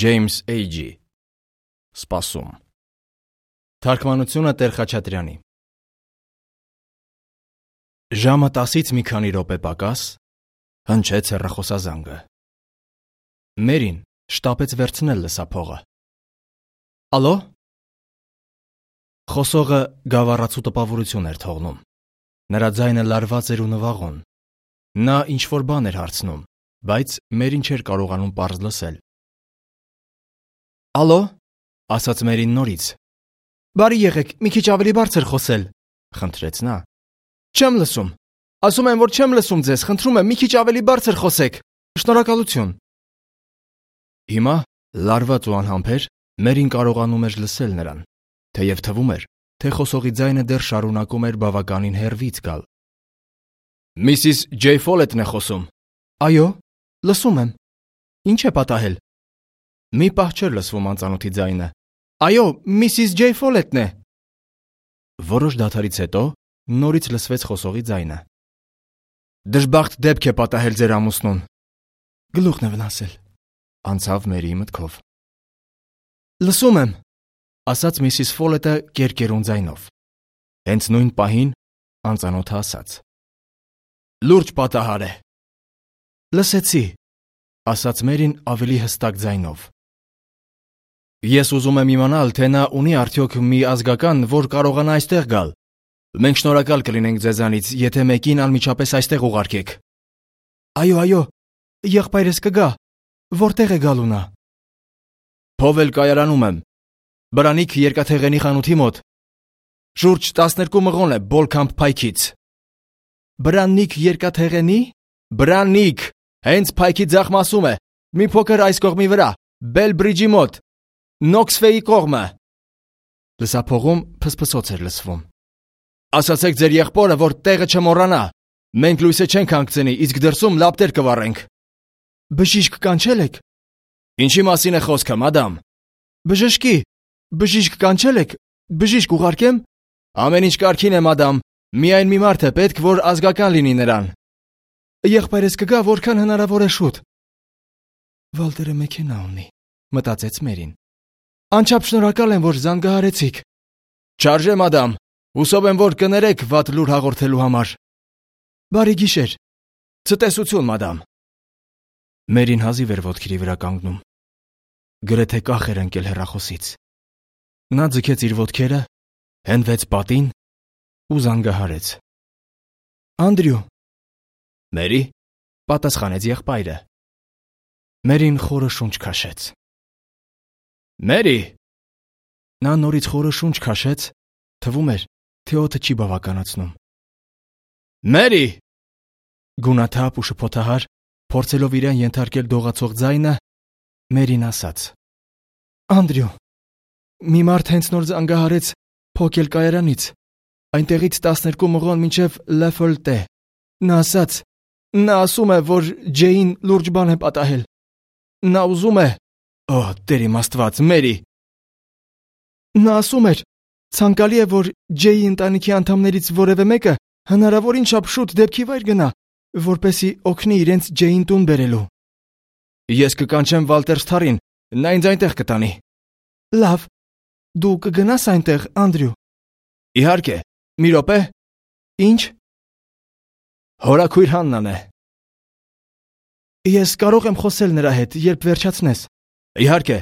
Ջեյմս Էյջի Սպասում Թարգմանությունը Տեր Խաչատրյանի Ժամը 10-ից մի քանի րոպե պակաս հնչեց հեռախոսազանգը։ Մերին շտապեց վերցնել լսափողը։ Ալո։ Խոսողը գավառացու տպավորություն էր թողնում։ Նրա ձայնը լարված էր ու նվաղոն։ Նա ինչ-որ բան էր հարցնում, բայց Մերին չէր կարողանում պարզ լսել։ Ալո, ասաց Մերին նորից։ Բարի եղեք, մի քիչ ավելի բարձր խոսել, խնդրեց նա։ Չեմ լսում։ Ասում եմ, որ չեմ լսում ձեզ, խնդրում եմ, մի քիչ ավելի բարձր խոսեք։ Շնորհակալություն։ Հիմա, լարված ու անհամբեր, Մերին կարողանում էր լսել նրան, թեև թվում էր, թե խոսողի ձայնը դեռ շարունակում էր բավականին հեռվից գալ։ Միսիս Ջեյ Ֆոլետն է խոսում։ Այո, լսում եմ։ Ինչ է պատահել։ Մի պահ չէր լսվում անծանոթի ձայնը։ Այո, միսիս Ջեյ Ֆոլետն է։ Որոշ դադարից հետո նորից լսվեց խոսողի ձայնը։ Դժբախտ դեպք է պատահել ձեր ամուսնուն։ Գլուխն է վնասել, անցավ Մերիի մտքով։ Լսում եմ, ասաց միսիս Ֆոլետը կերկերուն ձայնով։ Հենց նույն պահին անծանոթը ասաց. Լուրջ պատահար է։ Լսեցի, ասաց Մերին ավելի հստակ ձայնով։ Ես ուզում եմ իմանալ, թե նա ունի արդյոք մի ազգական, որ կարողանա այստեղ գալ։ Մենք շնորհակալ կլինենք ձեզանից, եթե մեկին անմիջապես այստեղ ուղարկեք։ Այո, եղբայրս կգա։ Որտեղ է գալու նա։ Փովել կայարանում եմ։ Բրանիկ երկաթեղենի խանութի մոտ։ Շուրջ 12 մղոն է Բոլքամփ փայքից։ Բրանիկ երկաթեղենի։ Բրանիկ, հենց փայքի ձախ մասում է, մի փոքր այս կողմի վրա, Բելբրիջի մոտ, Նոքսվեի կողմը։ Լսափողում փսփսոց էր լսվում։ Ասացեք ձեր եղբորը, որ տեղը չմոռանա։ Մենք լույսը չենք հանգցնի, իսկ դրսում լապտեր կվառենք։ Բժիշկ կանչել եք։ Ինչի մասին է խոսքը, մադամ։ Բժշկի։ Բժիշկ կանչել եք։ Բժիշկ ուղարկեմ։ Ամեն ինչ կարգին է, մադամ։ Միայն մի մարդ է պետք, որ ազգական լինի նրան։ Եղբայրս կգա որքան հնարավոր է շուտ։ Վալտերը մեքենա ունի, մտածեց Մերին։ Անչափ շնորհակալ եմ, որ զանգահարեցիք։ Չարժե, մադամ։ Հուսով եմ, որ կներեք վատ լուր հաղորդելու համար։ Բարի գիշեր։ Ցտեսություն, մադամ։ Մերին հազիվ էր ոտքերի վրա կանգնում։ Գրեթե կախ էր ընկել հեռախոսից։ Նա ձգեց իր ոտքերը, հենվեց պատին ու զանգահարեց։ Անդրյու։ Մերի, պատասխանեց եղբայրը։ Մերին խորը շունչ քաշեց։ Մերի։ Նա նորից խորը շունչ քաշեց, թվում էր, թե օդը չի բավականացնում։ Մերի։ Գունաթափ ու շփոթահար, փորձելով իրեն ենթարկել դողացող ձայնը, Մերին ասաց. Անդրյու, մի մարդ հենց նոր զանգահարեց փոքել կայարանից, այնտեղից 12 մղոն մինչև Լեֆոլտե։ Նա ասում է, որ Ջեյին լուրջ բան է պատահել։ Նա ուզում է… Օ, Տեր իմ Աստված, Մերի։ Նա ասում էր, ցանկալի է, որ Ջեյի ընտանիքի անդամներից որևէ մեկը հնարավորին չափ շուտ դեպքի վայր գնա, որպեսզի օգնի իրենց Ջեյին տուն բերելու։ Ես կկանչեմ Վալտեր Սթարին, նա ինձ այնտեղ կտանի։ Լավ, դու կգնաս այնտեղ, Անդրյու։ Իհարկե, մի րոպե։ Ինչ։ Հորաքույր Հաննան է։ Ես կարող եմ խոսել նրա հետ, երբ վերջացնես։ Իհարկե։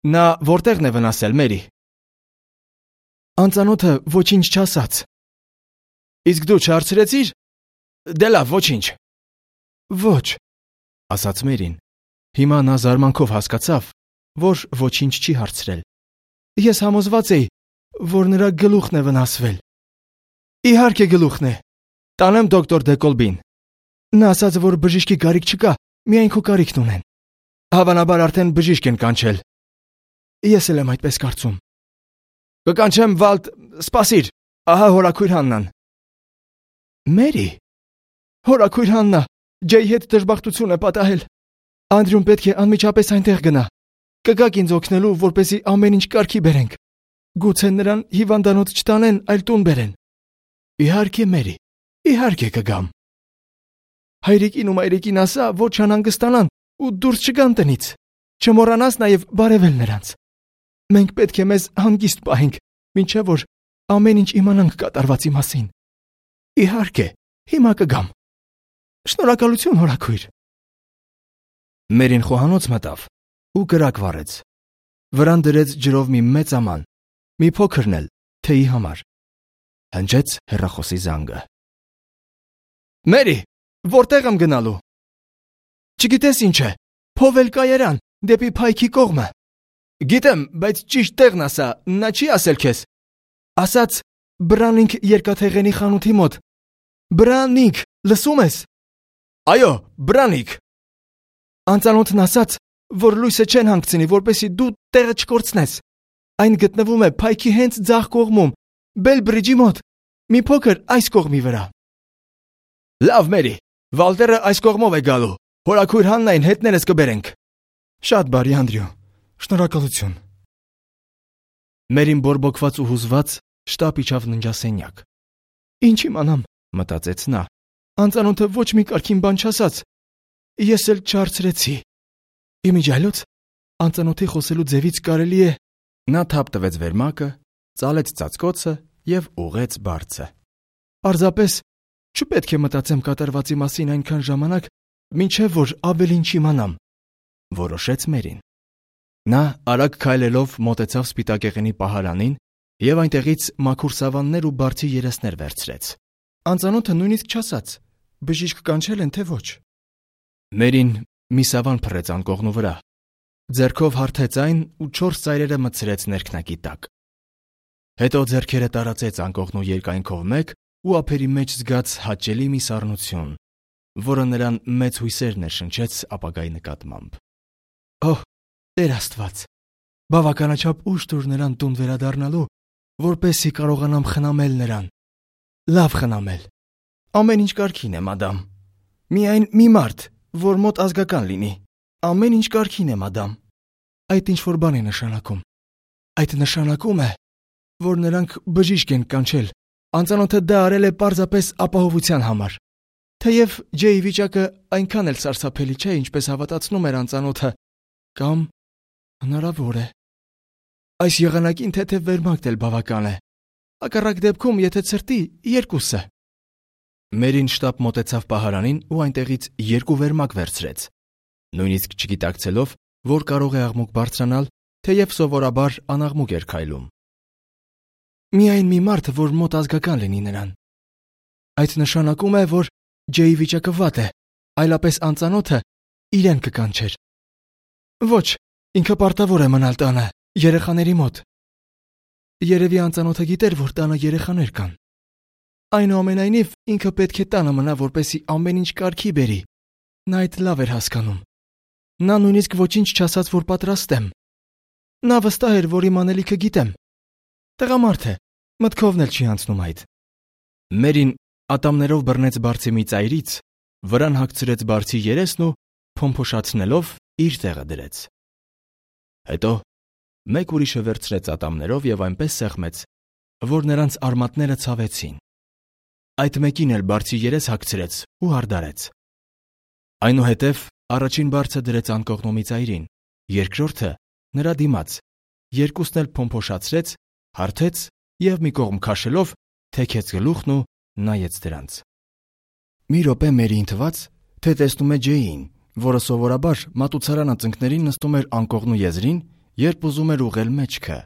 Նա որտեղն է վնասել, Մերի։ Անծանոթը ոչինչ չասաց։ Իսկ դու չհարցրեցիր։ Դե լավ, ոչինչ։ Ոչ, ասաց Մերին։ Հիմա նա զարմանքով հասկացավ, որ ոչինչ չի հարցրել։ Ես համոզված էի, որ նրա գլուխն է վնասվել։ Իհարկե գլուխն է։ Տանեմ դոկտոր Դեկոլբին։ Նա ասաց, որ բժիշկի կարիք չկա, միայն քո կարիքն ունեն։ Հավանաբար արդեն բժիշկ են կանչել։ Ես էլ եմ այդպես կարծում։ Կկանչեմ Սպասիր, ահա հորաքույր Հաննան։ Մերի։ Հորաքույր Հաննա, Ջեյի հետ դժբախտություն է պատահել։ Անդրյուն պետք է անմիջապես այնտեղ գնա։ Կգաք ինձ օգնելու, որպեսզի ամեն ինչ կարգի բերենք։ Գուցե նրան հիվանդանոց չտանեն, այլ տուն բերեն։ Իհարկե, Մերի, իհարկե կգամ։ Հայրիկին ու մայրիկին ասա, որ չանհանգստանան ու դուրս չգան տնից։ Չմոռանաս նաև բարևել նրանց։ Մենք պետք է մեզ հանգիստ պահենք, մինչև որ ամեն ինչ իմանանք կատարվածի մասին։ Իհարկե, հիմա կգամ։ Շնորհակալություն, հորաքույր։ Մերին խոհանոց մտավ ու կրակ վառեց։ Վրան դրեց ջրով մի մեծ աման, մի փոքրն էլ թեյի համար։ Հնչեց հեռախոսի զանգը։ Մերի, որտեղ եմ գնալու։ Չգիտես ինչ է, փովել կայարան, դեպի փայքի կողմը։ Գիտեմ, բայց ճիշտ տեղն ասա, նա չի ասել քեզ։ Ասաց Բրանինգ երկաթեղենի խանութի մոտ։ Բրանինգ, լսում ես։ Այո, Բրանինգ։ Անծանոթն ասաց, որ լույսը չեն հանգցնի, որպեսզի դու տեղը չկորցնես։ Այն գտնվում է փայքի հենց ձախ կողմում, Բելբրիջի մոտ, մի փոքր այս կողմի վրա։ Լավ, Մերի, Վալտերը այս կողմով է գալու։ Հորաքույր Հաննային հետներս կբերենք։ Շատ բարի, Անդրյու։ Շնորհակալություն։ Մերին բորբոքված ու հուզված շտապ իջավ ննջասենյակ։ Ինչ իմանամ, մտածեց նա։ Անծանոթը ոչ մի կարգին բան չասաց։ Ես էլ չհարցրեցի։ Իմիջիայլոց անծանոթի խոսելու ձևից կարելի է։ Նա թափ տվեց վերմակը, ծալեց ծածկոցը եւ ուղեց բարձը։ Պարզապես չպետք է մտածեմ կատարվածի մասին այնքան ժամանակ, մինչև որ ավելին չիմանամ, որոշեց Մերին։ Նա արագ քայլելով մոտեցավ սպիտակեղենի պահարանին եւ այնտեղից մաքուր սավաններ ու բարձի երեսներ վերցրեց։ Անծանոթը նույնիսկ չասաց, բժիշկ կանչել են թե ոչ։ Մերին մի սավան փռեց անկողնու վրա, ձեռքով հարթեց այն ու 4 ծայրերը մտցրեց ներքնակի տակ։ Հետո ձեռքերը տարածեց անկողնու երկայնքով մեկ ու ափերի մեջ զգաց հաճելի մի սառնություն, որը նրան մեծ հույսեր ներշնչեց ապագայի նկատմամբ։ Օհ, Տեր Աստված, բավականաչափ ուշ տուր նրան տուն վերադառնալու, որպեսզի կարողանամ խնամել նրան։ Լավ խնամել։ Ամեն ինչ կարգին է, մադամ։ Միայն մի մարդ, որ մոտ ազգական լինի։ Ամեն ինչ կարգին է, մադամ։ Այդ ինչ որ բան է նշանակում։ Այդ նշանակում է, որ նրանք բժիշկ են կանչել։ Անծանոթը դա արել է պարզապես ապահովության համար։ Թեև Ջեյի վիճակը այնքան էլ սարսափելի չէ, ինչպես հավատացնում էր անծանոթը, կամ հնարավոր է։ Այս եղանակին թեթև վերմակն էլ բավական է։ Հակառակ դեպքում, եթե ցրտի, երկուսը։ Մերին շտապ մոտեցավ պահարանին ու այնտեղից 2 վերմակ վերցրեց։ Նույնիսկ չգիտակցելով, որ կարող է աղմուկ բարձրանալ, թեև սովորաբար անաղմուկ էր քայլում։ Միայն մի մարդ, որ մոտ ազգական լինի նրան։ Այդ նշանակում է, որ Ջեյի վիճակը վատ է, այլապես անծանոթը իրեն կկանչեր։ Ոչ, ինքը պարտավոր է մնալ տանը, երեխաների մոտ։ Երևի անծանոթը գիտեր, որ տանը երեխաներ կան։ Այնուամենայնիվ ինքը պետք է տանը մնա, որպեսզի ամեն ինչ կարգի բերի։ Նա այդ լավ էր հասկանում։ Նա նույնիսկ ոչինչ չասաց, որ պատրաստ եմ։ Նա վստահ էր, որ իմ անելիքը գիտեմ։ Տղամարդ է, մտքովն էլ չի անցնում այդ։ Մերին ատամներով բռնեց բարձի մի ծայրից, վրան հագցրեց բարձի երեսն ու փոմփոշացնելով իր տեղը դրեց։ Հետո մեկ ուրիշը վերցրեց ատամներով եւ այնպես սեղմեց, որ նրանց արմատները ցավեցին։ Այդ մեկին էլ բարձի երես հագցրեց ու հարդարեց։ Այնուհետև առաջին բարձը դրեց անկողնու մի ծայրին, երկրորդը նրա դիմաց, երկուսն էլ փոմփոշացրեց, հարթեց եւ մի կողմ քաշելով թեքեց գլուխն ու նայեց դրանց։ Մի րոպե Մերին թվաց, թե տեսնում է Ջեյին, որը սովորաբար մատուցարան ծնկներին նստում էր անկողնու եզրին, երբ ուզում էր ուղղել մեջքը,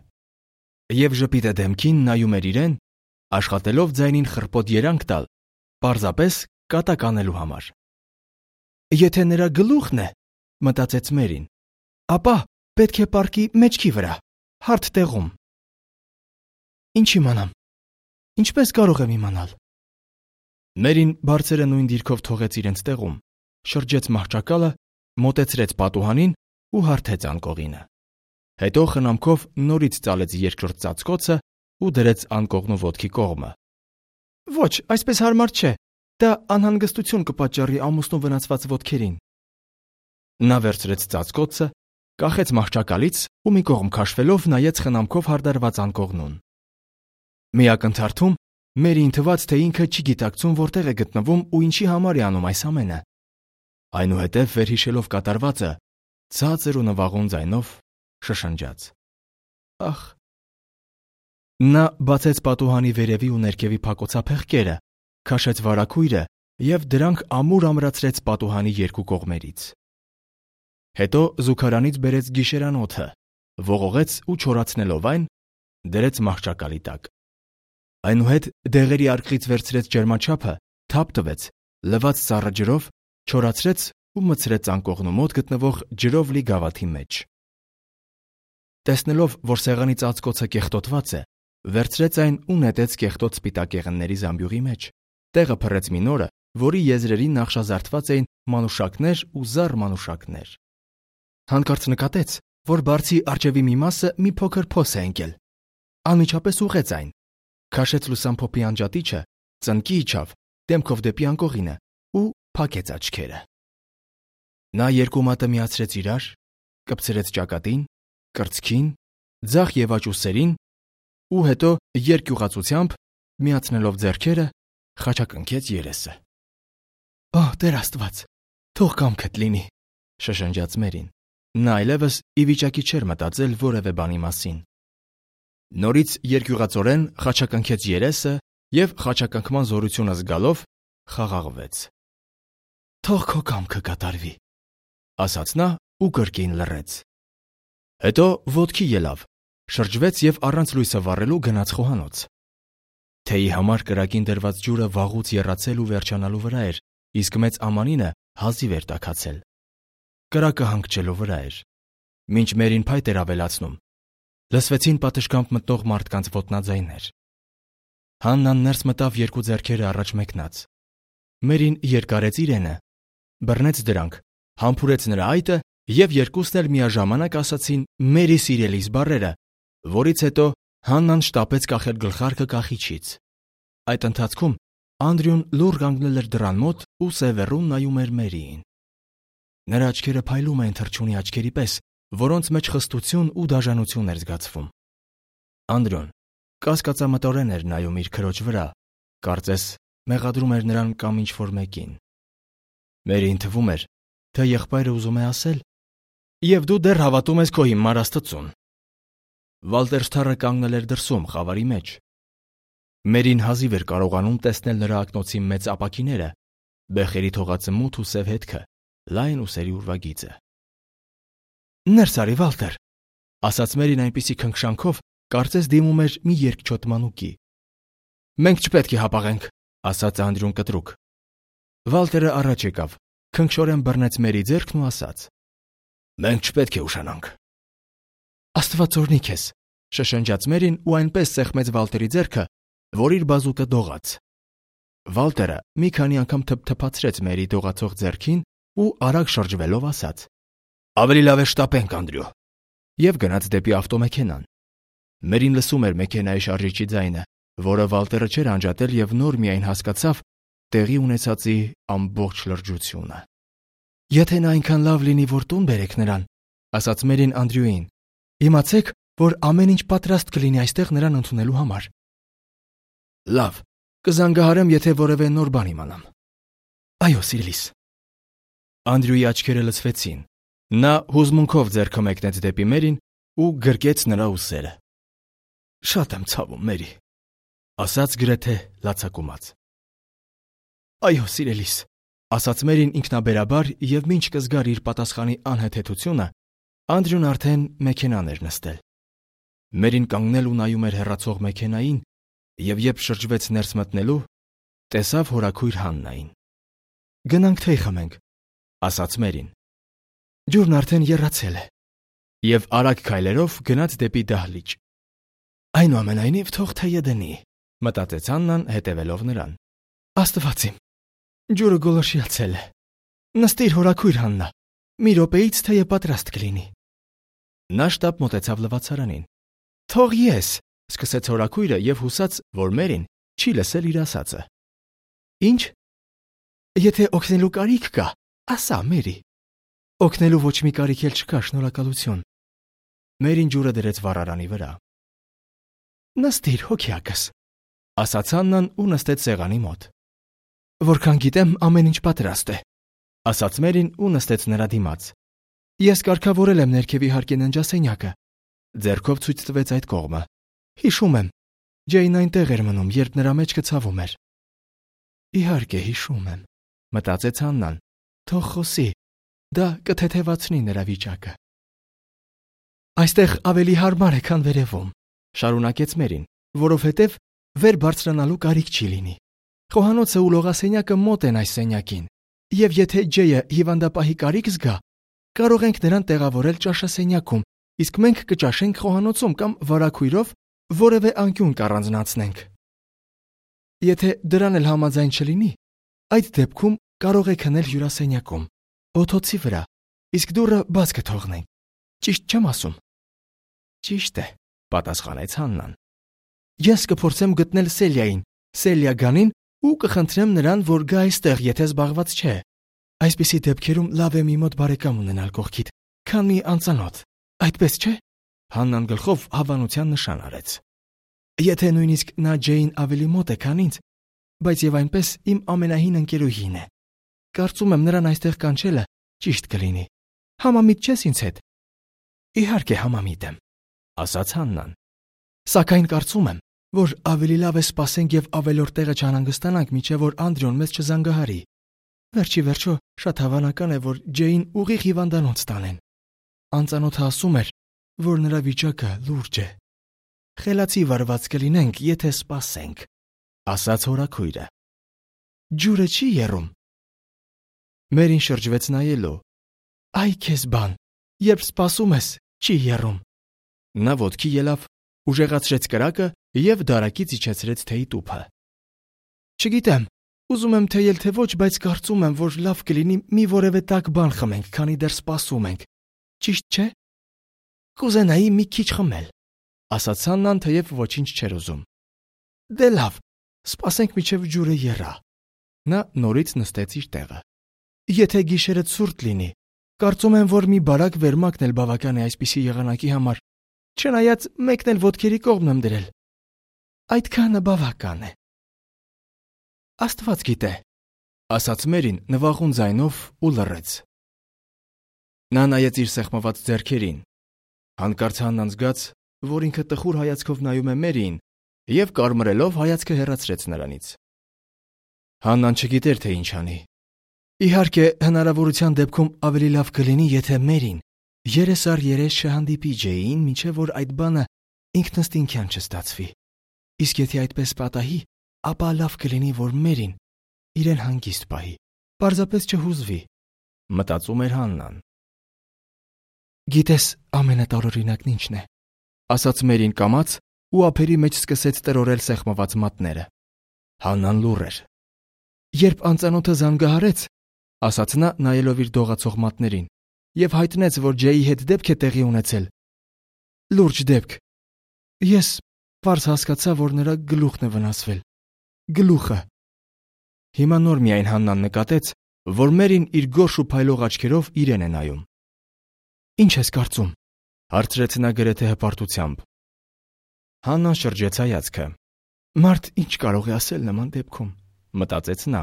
եւ ժպիտը դեմքին նայում էր իրեն, աշխատելով ձայնին խռպոտ երանգ տալ, պարզապես կատակ անելու համար։ Եթե նրա գլուխն է, մտածեց Մերին, ապա պետք է պարկի մեջքի վրա, հարթ տեղում։ Ինչ իմանամ։ Ինչպես կարող եմ իմանալ։ Մերին բարձերը նույն դիրքով թողեց իրենց տեղում, շրջեց մահճակալը, մոտեցրեց պատուհանին ու հարթեց անկողինը։ Հետո խնամքով նորից ծալեց երկրորդ ծածկոցը ու դրեց անկողնու ոտքի կողմը։ Ոչ, այսպես հարմար չէ։ Դա անհանգստություն կպատճառի ամուսնու վնասված ոտքերին։ Նա վերցրեց ծածկոցը, կախեց մահճակալից ու մի կողմ քաշվելով նայեց խնամքով հարդարված անկողնուն։ Մի ակնթարթում Մերին թվաց, թե ինքը չի գիտակցում որտեղ է գտնվում ու ինչի համար է անում այս ամենը։ Այնուհետև վերհիշելով կատարվածը, ցածր ու նվաղուն ձայնով շշնջաց. Ախ։ Նա բացեց պատուհանի վերևի ու ներքևի փակոցափեղկերը, քաշեց վարագույրը և դրանք ամուր ամրացրեց պատուհանի երկու կողմերից։ Հետո զուգարանից բերեց գիշերանոթը, ողողեց ու չորացնելով այն, դրեց մահճակալի տակ։ Այնուհետ դեղերի արկղից վերցրեց ջերմաչափը, թափ տվեց, լվաց սառը ջրով, չորացրեց ու մտցրեց անկողնու մոտ գտնվող ջրով լի գավաթի մեջ։ Տեսնելով, որ սեղանի ծածկոցը կեղտոտված է, վերցրեց այն ու նետեց կեղտոտ սպիտակ եղնների զամբյուղի մեջ, տեղը փռեց մի նորը, որի եզրերին նախշազարդված էին մանուշակներ ու զառ մանուշակներ։ Հանկարծ նկատեց, որ բարձի արջևի մի մասը մի փոքր փոս է ընկել։ Անմիջապես ուղղեց այն, քաշեց լուսամփոփի անջատիչը, ծնկի իջավ, դեմքով դեպի անկողինը ու փակեց աչքերը։ Նա երկու մատը միացրեց իրար, կպցրեց ճակատին, կրծքին, ձախ և աջ ուսերին ու հետո երկյուղացությամբ, միացնելով ձեռքերը, խաչակնքեց երեսը։ Օ, Տեր Աստված, թող կամքդ լինի, շշնջաց Մերին։ Նա այլևս ի վիճակի չէր մտածել որևէ բանի մասին։ Նորից երկյուղածորեն խաչակնքեց երեսը և խաչակնքման զորությունը զգալով խաղաղվեց։ Թող քո կամքը կատարվի, ասաց նա ու կրկին լռեց։ Հետո ոտքի ելավ, շրջվեց և առանց լույսը վառելու գնաց խոհանոց։ Թեյի համար կրակին դրված ջուրը վաղուց եռացել ու վերջանալու վրա էր, իսկ մեծ ամանինը հազիվ էր տաքացել։ Կրակը հանգչելու վրա էր։ Մինչ Մերին փայտ էր ավելացնում, լսվեցին պատշգամբ մտնող մարդկանց ոտնաձայներ։ Հաննան ներս մտավ երկու ձեռքերը առաջ մեկնած։ Մերին երկարեց իրենը, բռնեց դրանք, համբուրեց նրա այտը և երկուսն էլ միաժամանակ ասացին «Մերի սիրելիս» բառերը, որից հետո Հաննան շտապեց կախել գլխարկը կախիչից։ Այդ ընթացքում Անդրյուն լուռ կանգնել էր դռան մոտ ու սևեռուն նայում էր Մերիին։ Նրա աչքերը փայլում էին թռչունի աչքերի պես, որոնց մեջ խստություն ու դաժանություն էր զգացվում։ Անդրյուն կասկածամտորեն էր նայում իր քրոջ վրա, կարծես մեղադրում էր նրան կամ ինչ-որ մեկին։ Մերին թվում էր, թե եղբայրը ուզում է ասել. «Եվ դու դեռ հավատում ես քո հիմար Աստծուն»։ Վալտերշթարը կանգնել էր դրսում, խավարի մեջ։ Մերին հազիվ էր կարողանում տեսնել նրա ակնոցի մեծ ապակիները, բեխերի թողածը մութ ու սև հետքը, լայն ուսերի ուրվագիծը։ «Ներս արի, Վալտեր», ասաց Մերին այնպիսի քնքշանքով, կարծես դիմում էր մի երկչոտ մանուկի։ «Մենք չպետք է հապաղենք», ասաց Անդրյուն կտրուկ։ Վալտերը առաջ եկավ, քնքշորեն բռնեց Մերի ձեռքն ու ասաց. «Մենք չպետք է ուշանանք»։ «Աստված օրհնի քեզ», շշնջաց Մերին ու այնպես սեղմեց Վալտերի ձեռքը, որ իր բազուկը դողաց։ Վալտերը մի քանի անգամ թփթփացրեց Մերի դողացող ձեռքին ու արագ շրջվելով ասաց. «Ավելի լավ է շտապենք, Անդրյու», և գնաց դեպի ավտոմեքենան։ Մերին լսում էր մեքենայի շարժիչի ձայնը, որը Վալտերը չէր անջատել և նոր միայն հասկացավ տեղի ունեցածի ամբողջ լրջությունը։ «Եթե նա այնքան լավ լինի, որ տուն բերեք նրան», ասաց Մերին Անդրյուին, «իմացեք, որ ամեն ինչ պատրաստ կլինի այստեղ նրան ընդունելու համար»։ «Լավ, կզանգահարեմ, եթե որևէ նոր բան իմանամ»։ «Այո, սիրելիս»։ Անդրյուի աչքերը լցվեցին։ Նա հուզմունքով ձեռքը մեկնեց դեպի Մերին ու գրկեց նրա ուսերը։ «Շատ եմ ցավում, Մերի», ասաց գրեթե լացակումած։ «Այո, սիրելիս», ասաց Մերին ինքնաբերաբար և մինչ կզգար իր պատասխանի անհեթեթությունը, Անդրյուն արդեն մեքենան էր նստել։ Մերին կանգնել ու նայում էր հեռացող մեքենային և երբ շրջվեց ներս մտնելու, տեսավ հորաքույր Հաննային։ «Գնանք թեյ խմենք», ասաց Մերին։ «Ջուրն արդեն եռացել է» և արագ քայլերով գնաց դեպի դահլիճ։ «Այնուամենայնիվ թող թեյը դնի», մտածեց Հաննան հետևելով նրան։ «Աստված իմ, ջուրը գոլորշիացել է։ Նստիր, հորաքույր Հաննա, մի րոպեից թեյը պատրաստ կլինի»։ Նա շտապ մոտեցավ լվացարանին։ «Թող ես», սկսեց հորաքույրը և հուսաց, որ Մերին չի լսել իր ասածը։ «Ինչ»։ «Եթե օգնելու կարիք կա, ասա, Մերի»։ «Օգնելու ոչ մի կարիք էլ չկա, շնորհակալություն»։ Մերին ջուրը դրեց վառարանի վրա։ «Նստիր, հոգյակս», ասաց Հաննան ու նստեց սեղանի մոտ։ «Որքան գիտեմ, ամեն ինչ պատրաստ է», ասաց Մերին ու նստեց նրա դիմաց։ Ես կարգավորել եմ ներքևի հարկի ննջասենյակը։ Ձեռքով ցույց տվեց այդ կողմը։ Հիշում եմ։ Ջեյն այնտեղ էր մնում, երբ նրա մեջքը ցավում էր։ Իհարկե, հիշում եմ, մտածեց Հաննան։ Թող խոսի։ Դա կթեթևացնի նրա վիճակը։ Այստեղ ավելի հարմար է, քան վերևում, շարունակեց Մերին, որովհետև վեր բարձրանալու կարիք չի լինի։ Խոհանոցը ու լողասենյակը մոտ են այս սենյակին, եւ եթե Ջեյը հիվանդապահի կարիք զգա, կարող ենք նրան տեղավորել ճաշասենյակում, իսկ մենք կճաշենք խոհանոցում կամ վարագույրով որևէ անկյուն կառանձնացնենք։ Եթե դրան էլ համաձայն չլինի, այդ դեպքում կարող է քնել հյուրասենյակում, օթոցի վրա, իսկ դուռը բաց կթողնենք։ Ճիշտ չեմ ասում։ Ճիշտ է, պատասխանեց Հաննան։ Ես կփորձեմ գտնել Սելիային, Սելիա Գանին ու կխնդրեմ նրան, որ գա այստեղ, եթե զբաղված չէ։ Այսպիսի դեպքերում լավ է մի մոտ բարեկամ ունենալ կողքիդ, քան մի անծանոթ։ Այդպես չէ։ Հաննան գլխով հավանության նշան արեց։ Եթե նույնիսկ նա Ջեյին ավելի մոտ է, քան ինձ, բայց եւ այնպես իմ ամենահին ընկերուհին է։ Կարծում եմ նրան այստեղ կանչելը ճիշտ կլինի։ Համամիտ չես ինձ հետ։ Իհարկե համամիտ եմ, ասաց Հաննան։ Սակայն կարծում եմ, որ ավելի լավ է սպասենք եւ ավելորդ տեղը չանհանգստանանք, մինչեւ որ Անդրեոն մեզ չզանգահարի։ Վերջի վերջո շատ հավանական է, որ Ջեյին ուղիղ հիվանդանոց տանեն։ Անծանոթը ասում էր, որ նրա վիճակը լուրջ է։ Խելացի վարված կլինենք, եթե սպասենք, ասաց հորաքույրը։ Ջուրը չի եռում։ Մերին շրջվեց նայելու։ Այ քեզ բան, երբ սպասում ես, չի եռում։ Նա ոտքի ելավ, ուժեղացրեց կրակը եւ դարակից իջեցրեց թեյի տուփը։ Չգիտեմ, ուզում եմ թեյել թե ոչ, բայց կարծում եմ, որ լավ կլինի մի որևէ տաք բան խմենք, քանի դեռ սպասում ենք։ Ճիշտ չէ։ Կուզենայի մի քիչ խմել, ասաց Հաննան, թեև ոչինչ չէր ուզում։ Դե լավ, սպասենք մինչև ջուրը եռա։ Նա նորից նստեց իր տեղը։ Եթե գիշերը ցուրտ լինի, կարծում եմ, որ մի բարակ վերմակն էլ բավական է այսպիսի եղանակի համար, չնայած մեկն էլ ոտքերի կողմն եմ դրել։ Այդքանը բավական է։ Աստված գիտե, ասաց Մերին նվաղուն ձայնով ու լռեց։ Նա նայեց իր սեղմված ձեռքերին։ Հանկարծ Հաննան զգաց, որ ինքը տխուր հայացքով նայում է Մերիին եւ կարմրելով հայացքը հեռացրեց նրանից։ Հաննան չգիտեր, թե ինչ անի։ Իհարկե, հնարավորության դեպքում ավելի լավ կլինի, եթե Մերին երես առ երես չհանդիպի Ջեյին, մինչև որ այդ բանը ինքնըստինքյան չստացվի։ Իսկ եթե այդպես պատահի, ապա լավ կլինի, որ Մերին իրեն հանգիստ պահի, պարզապես չհուզվի, մտածում էր Հաննան։ Գիտես, ամենատարօրինակն ինչն է, ասաց Մերին կամաց ու ափերի մեջ սկսեց տրորել սեղմված մատները։ Հաննան լուռ էր։ Երբ անծանոթը զանգահարեց, ասաց նա նայելով իր դողացող մատներին, եւ հայտնեց, որ Ջեյի հետ դեպք է տեղի ունեցել։ Լուրջ դեպք։ Ես պարզ հասկացա, որ նրա գլուխն է վնասվել։ Գլուխը։ Հիմա նոր միայն Հաննան նկատեց, որ Մերին իր գորշ ու փայլող աչքերով իրեն է նայում։ Ինչ ես կարծում, հարցրեց նա գրեթե հպարտությամբ։ Հաննան շրջեց հայացքը։ Մարդ ինչ կարող է ասել նման դեպքում, մտածեց նա։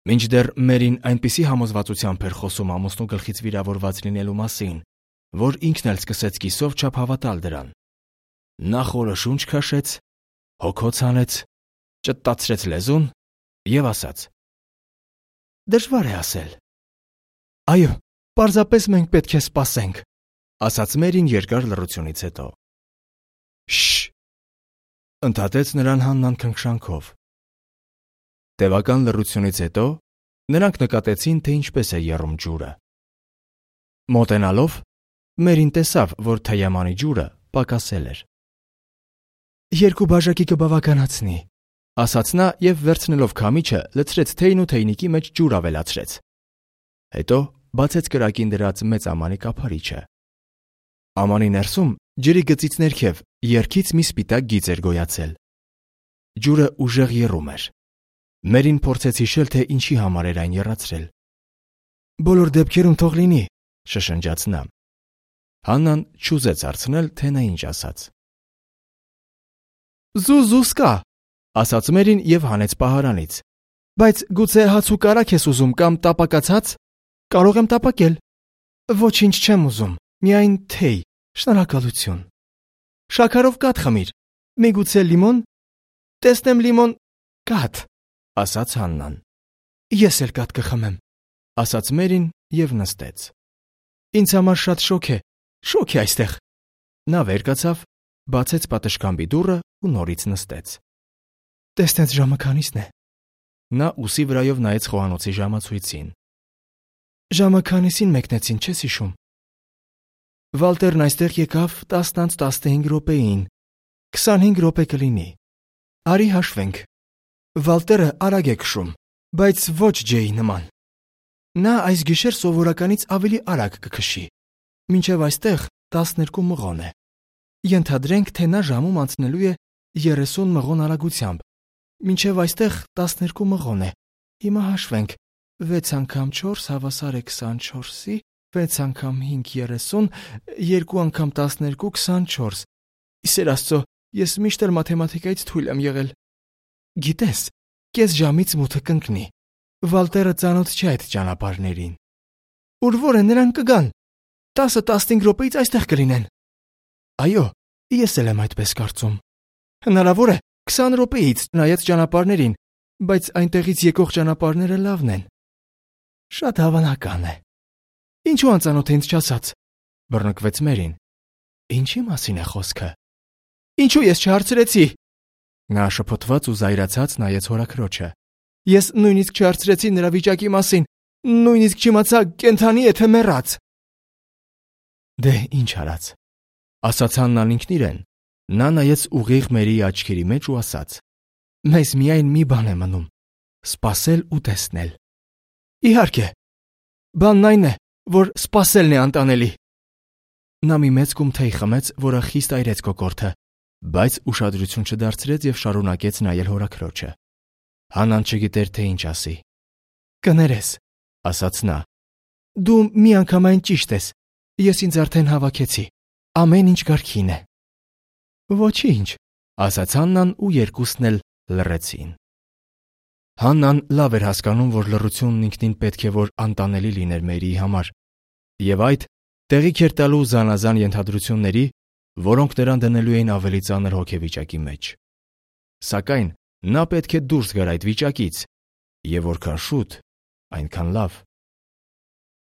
Մինչդեռ Մերին այնպիսի համոզվածությամբ էր խոսում ամուսնու գլխից վիրավորված լինելու մասին, որ ինքն էլ սկսեց կիսով չափ հավատալ դրան։ Նա խորը շունչ քաշեց, հոգոց հանեց, ճտտացրեց լեզուն եւ ասաց. Դժվար է ասել։ Այո, պարզապես մենք պետք է սպասենք, ասաց Մերին երկար լռությունից հետո։ Շշ, ընդհատեց նրան Հաննան քնքշանքով։ Տևական լռությունից հետո նրանք նկատեցին, թե ինչպես է եռում ջուրը։ Մոտենալով Մերին տեսավ, որ թեյամանի ջուրը պակասել էր։ Երկու բաժակի կբավականացնի, ասաց նա եւ վերցնելով քամիչը լցրեց թեյն ու թեյնիկի մեջ ջուր ավելացրեց։ Հետո բացեց կրակին դրած մեծ ամանի կափարիչը։ Ամանի ներսում ջրի գծից ներքև երգից մի սպիտակ գիծ էր գոյացել։ Ջուրը ուժեղ եռում էր։ Մերին փորձեց հիշել, թե ինչի համար էր այն եռացրել։ Բոլոր դեպքերում թող լինի, շշնջաց նա։ Հաննան չուզեց հարցնել, թե նա ինչ ասաց։ Զուզուսկա, ասաց Մերին եւ հանեց պահարանից։ Բայց գուցե հաց ու կարագ ես ուզում կամ տապակած հաց։ Կարող եմ տապակել։ Ոչինչ չեմ ուզում, միայն թեյ, շնորհակալություն։ Շաքարով կաթ խմիր, միգուցե լիմոն։ Տեսնեմ լիմոն, կաթ, ասաց Հաննան։ Ես էլ կաթ կխմեմ, ասաց Մերին եւ նստեց։ Ինձ համար շատ շոգ է այստեղ։ Նա վեր կացավ, բացեց պատշգամբի դուռը ու նորից նստեց։ Տեսնեց ժամը քանիսն է։ Նա ուսի վրայով նայեց խոհանոցի ժամացույցին։ Ժամը քանիսին մեկնեցին, չես հիշում։ Վալտերն այստեղ եկավ 10:15 րոպեին, 25 րոպե կլինի։ Արի հաշվենք։ Վալտերը արագ է քշում, բայց ոչ Ջեյի նման։ Նա այս գիշեր սովորականից ավելի արագ կքշի։ Մինչև այստեղ 12 մղոն է։ Ենթադրենք, թե նա ժամում անցնելու է 30 մղոն արագությամբ։ Մինչև այստեղ 12 մղոն է։ Հիմա հաշվենք. 6 անգամ 4 հավասար է 24-ի, 6 անգամ 5 30, 2 անգամ 12 24։ Իսեր Աստծո, ես միշտ էլ մաթեմատիկայից թույլ եմ եղել։ Գիտես, կես ժամից մութը կընկնի։ Վալտերը ծանոթ չէ այդ ճանապարհներին։ Ուր որ են նրանք կգան։ 10-15 րոպեից այստեղ կլինեն։ Այո, ես էլ եմ այդպես կարծում։ Հնարավոր է 20 րոպեից նայած ճանապարհներին, բայց այնտեղից եկող ճանապարհները լավն են։ Շատ հավանական է։ Ինչու անծանոթ ինձ չասած, բռնկվեց Մերին։ Ինչի մասին է խոսքը։ Ինչու ես չհարցրեցի։ Նա շփոթված ու զայրացած նայեց հորաքրոջը։ Ես նույնիսկ չհարցրեցի նրա վիճակի մասին, նույնիսկ չիմացա կենթանի է թե մեռած։ Դե ինչ արած, ասաց Հաննան ինքն իրեն։ Նա նայեց ուղիղ Մերիի աչքերի մեջ ու ասաց. Մեզ միայն մի բան է մնում՝ սպասել ու տեսնել։ Իհարկե, բանն այն է, որ սպասելն է անտանելի։ Նա մի մեծ կում թեյ խմեց, որը խիստ այրեց կոկորդը, բայց ուշադրություն չդարձրեց եւ շարունակեց նայել հորաքրոջը։ Հաննան չգիտեր, թե ինչ ասի։ Կներես, ասաց նա։ Դու միանգամայն ճիշտ ես։ Ես ինձ արդեն հավաքեցի։ Ամեն ինչ կարգին է։ Ոչինչ, ասաց Հաննան ու երկուսն էլ լռեցին։ Հաննան լավ էր հասկանում, որ լռությունն ինքնին պետք է որ անտանելի լիներ Մերիի համար, եւ այդ տեղիք էր տալու զանազան ենթադրությունների, որոնք նրան դնելու էին ավելի ծանր հոգեվիճակի մեջ։ Սակայն նա պետք է դուրս գար այդ վիճակից, եւ որքան շուտ, այնքան լավ։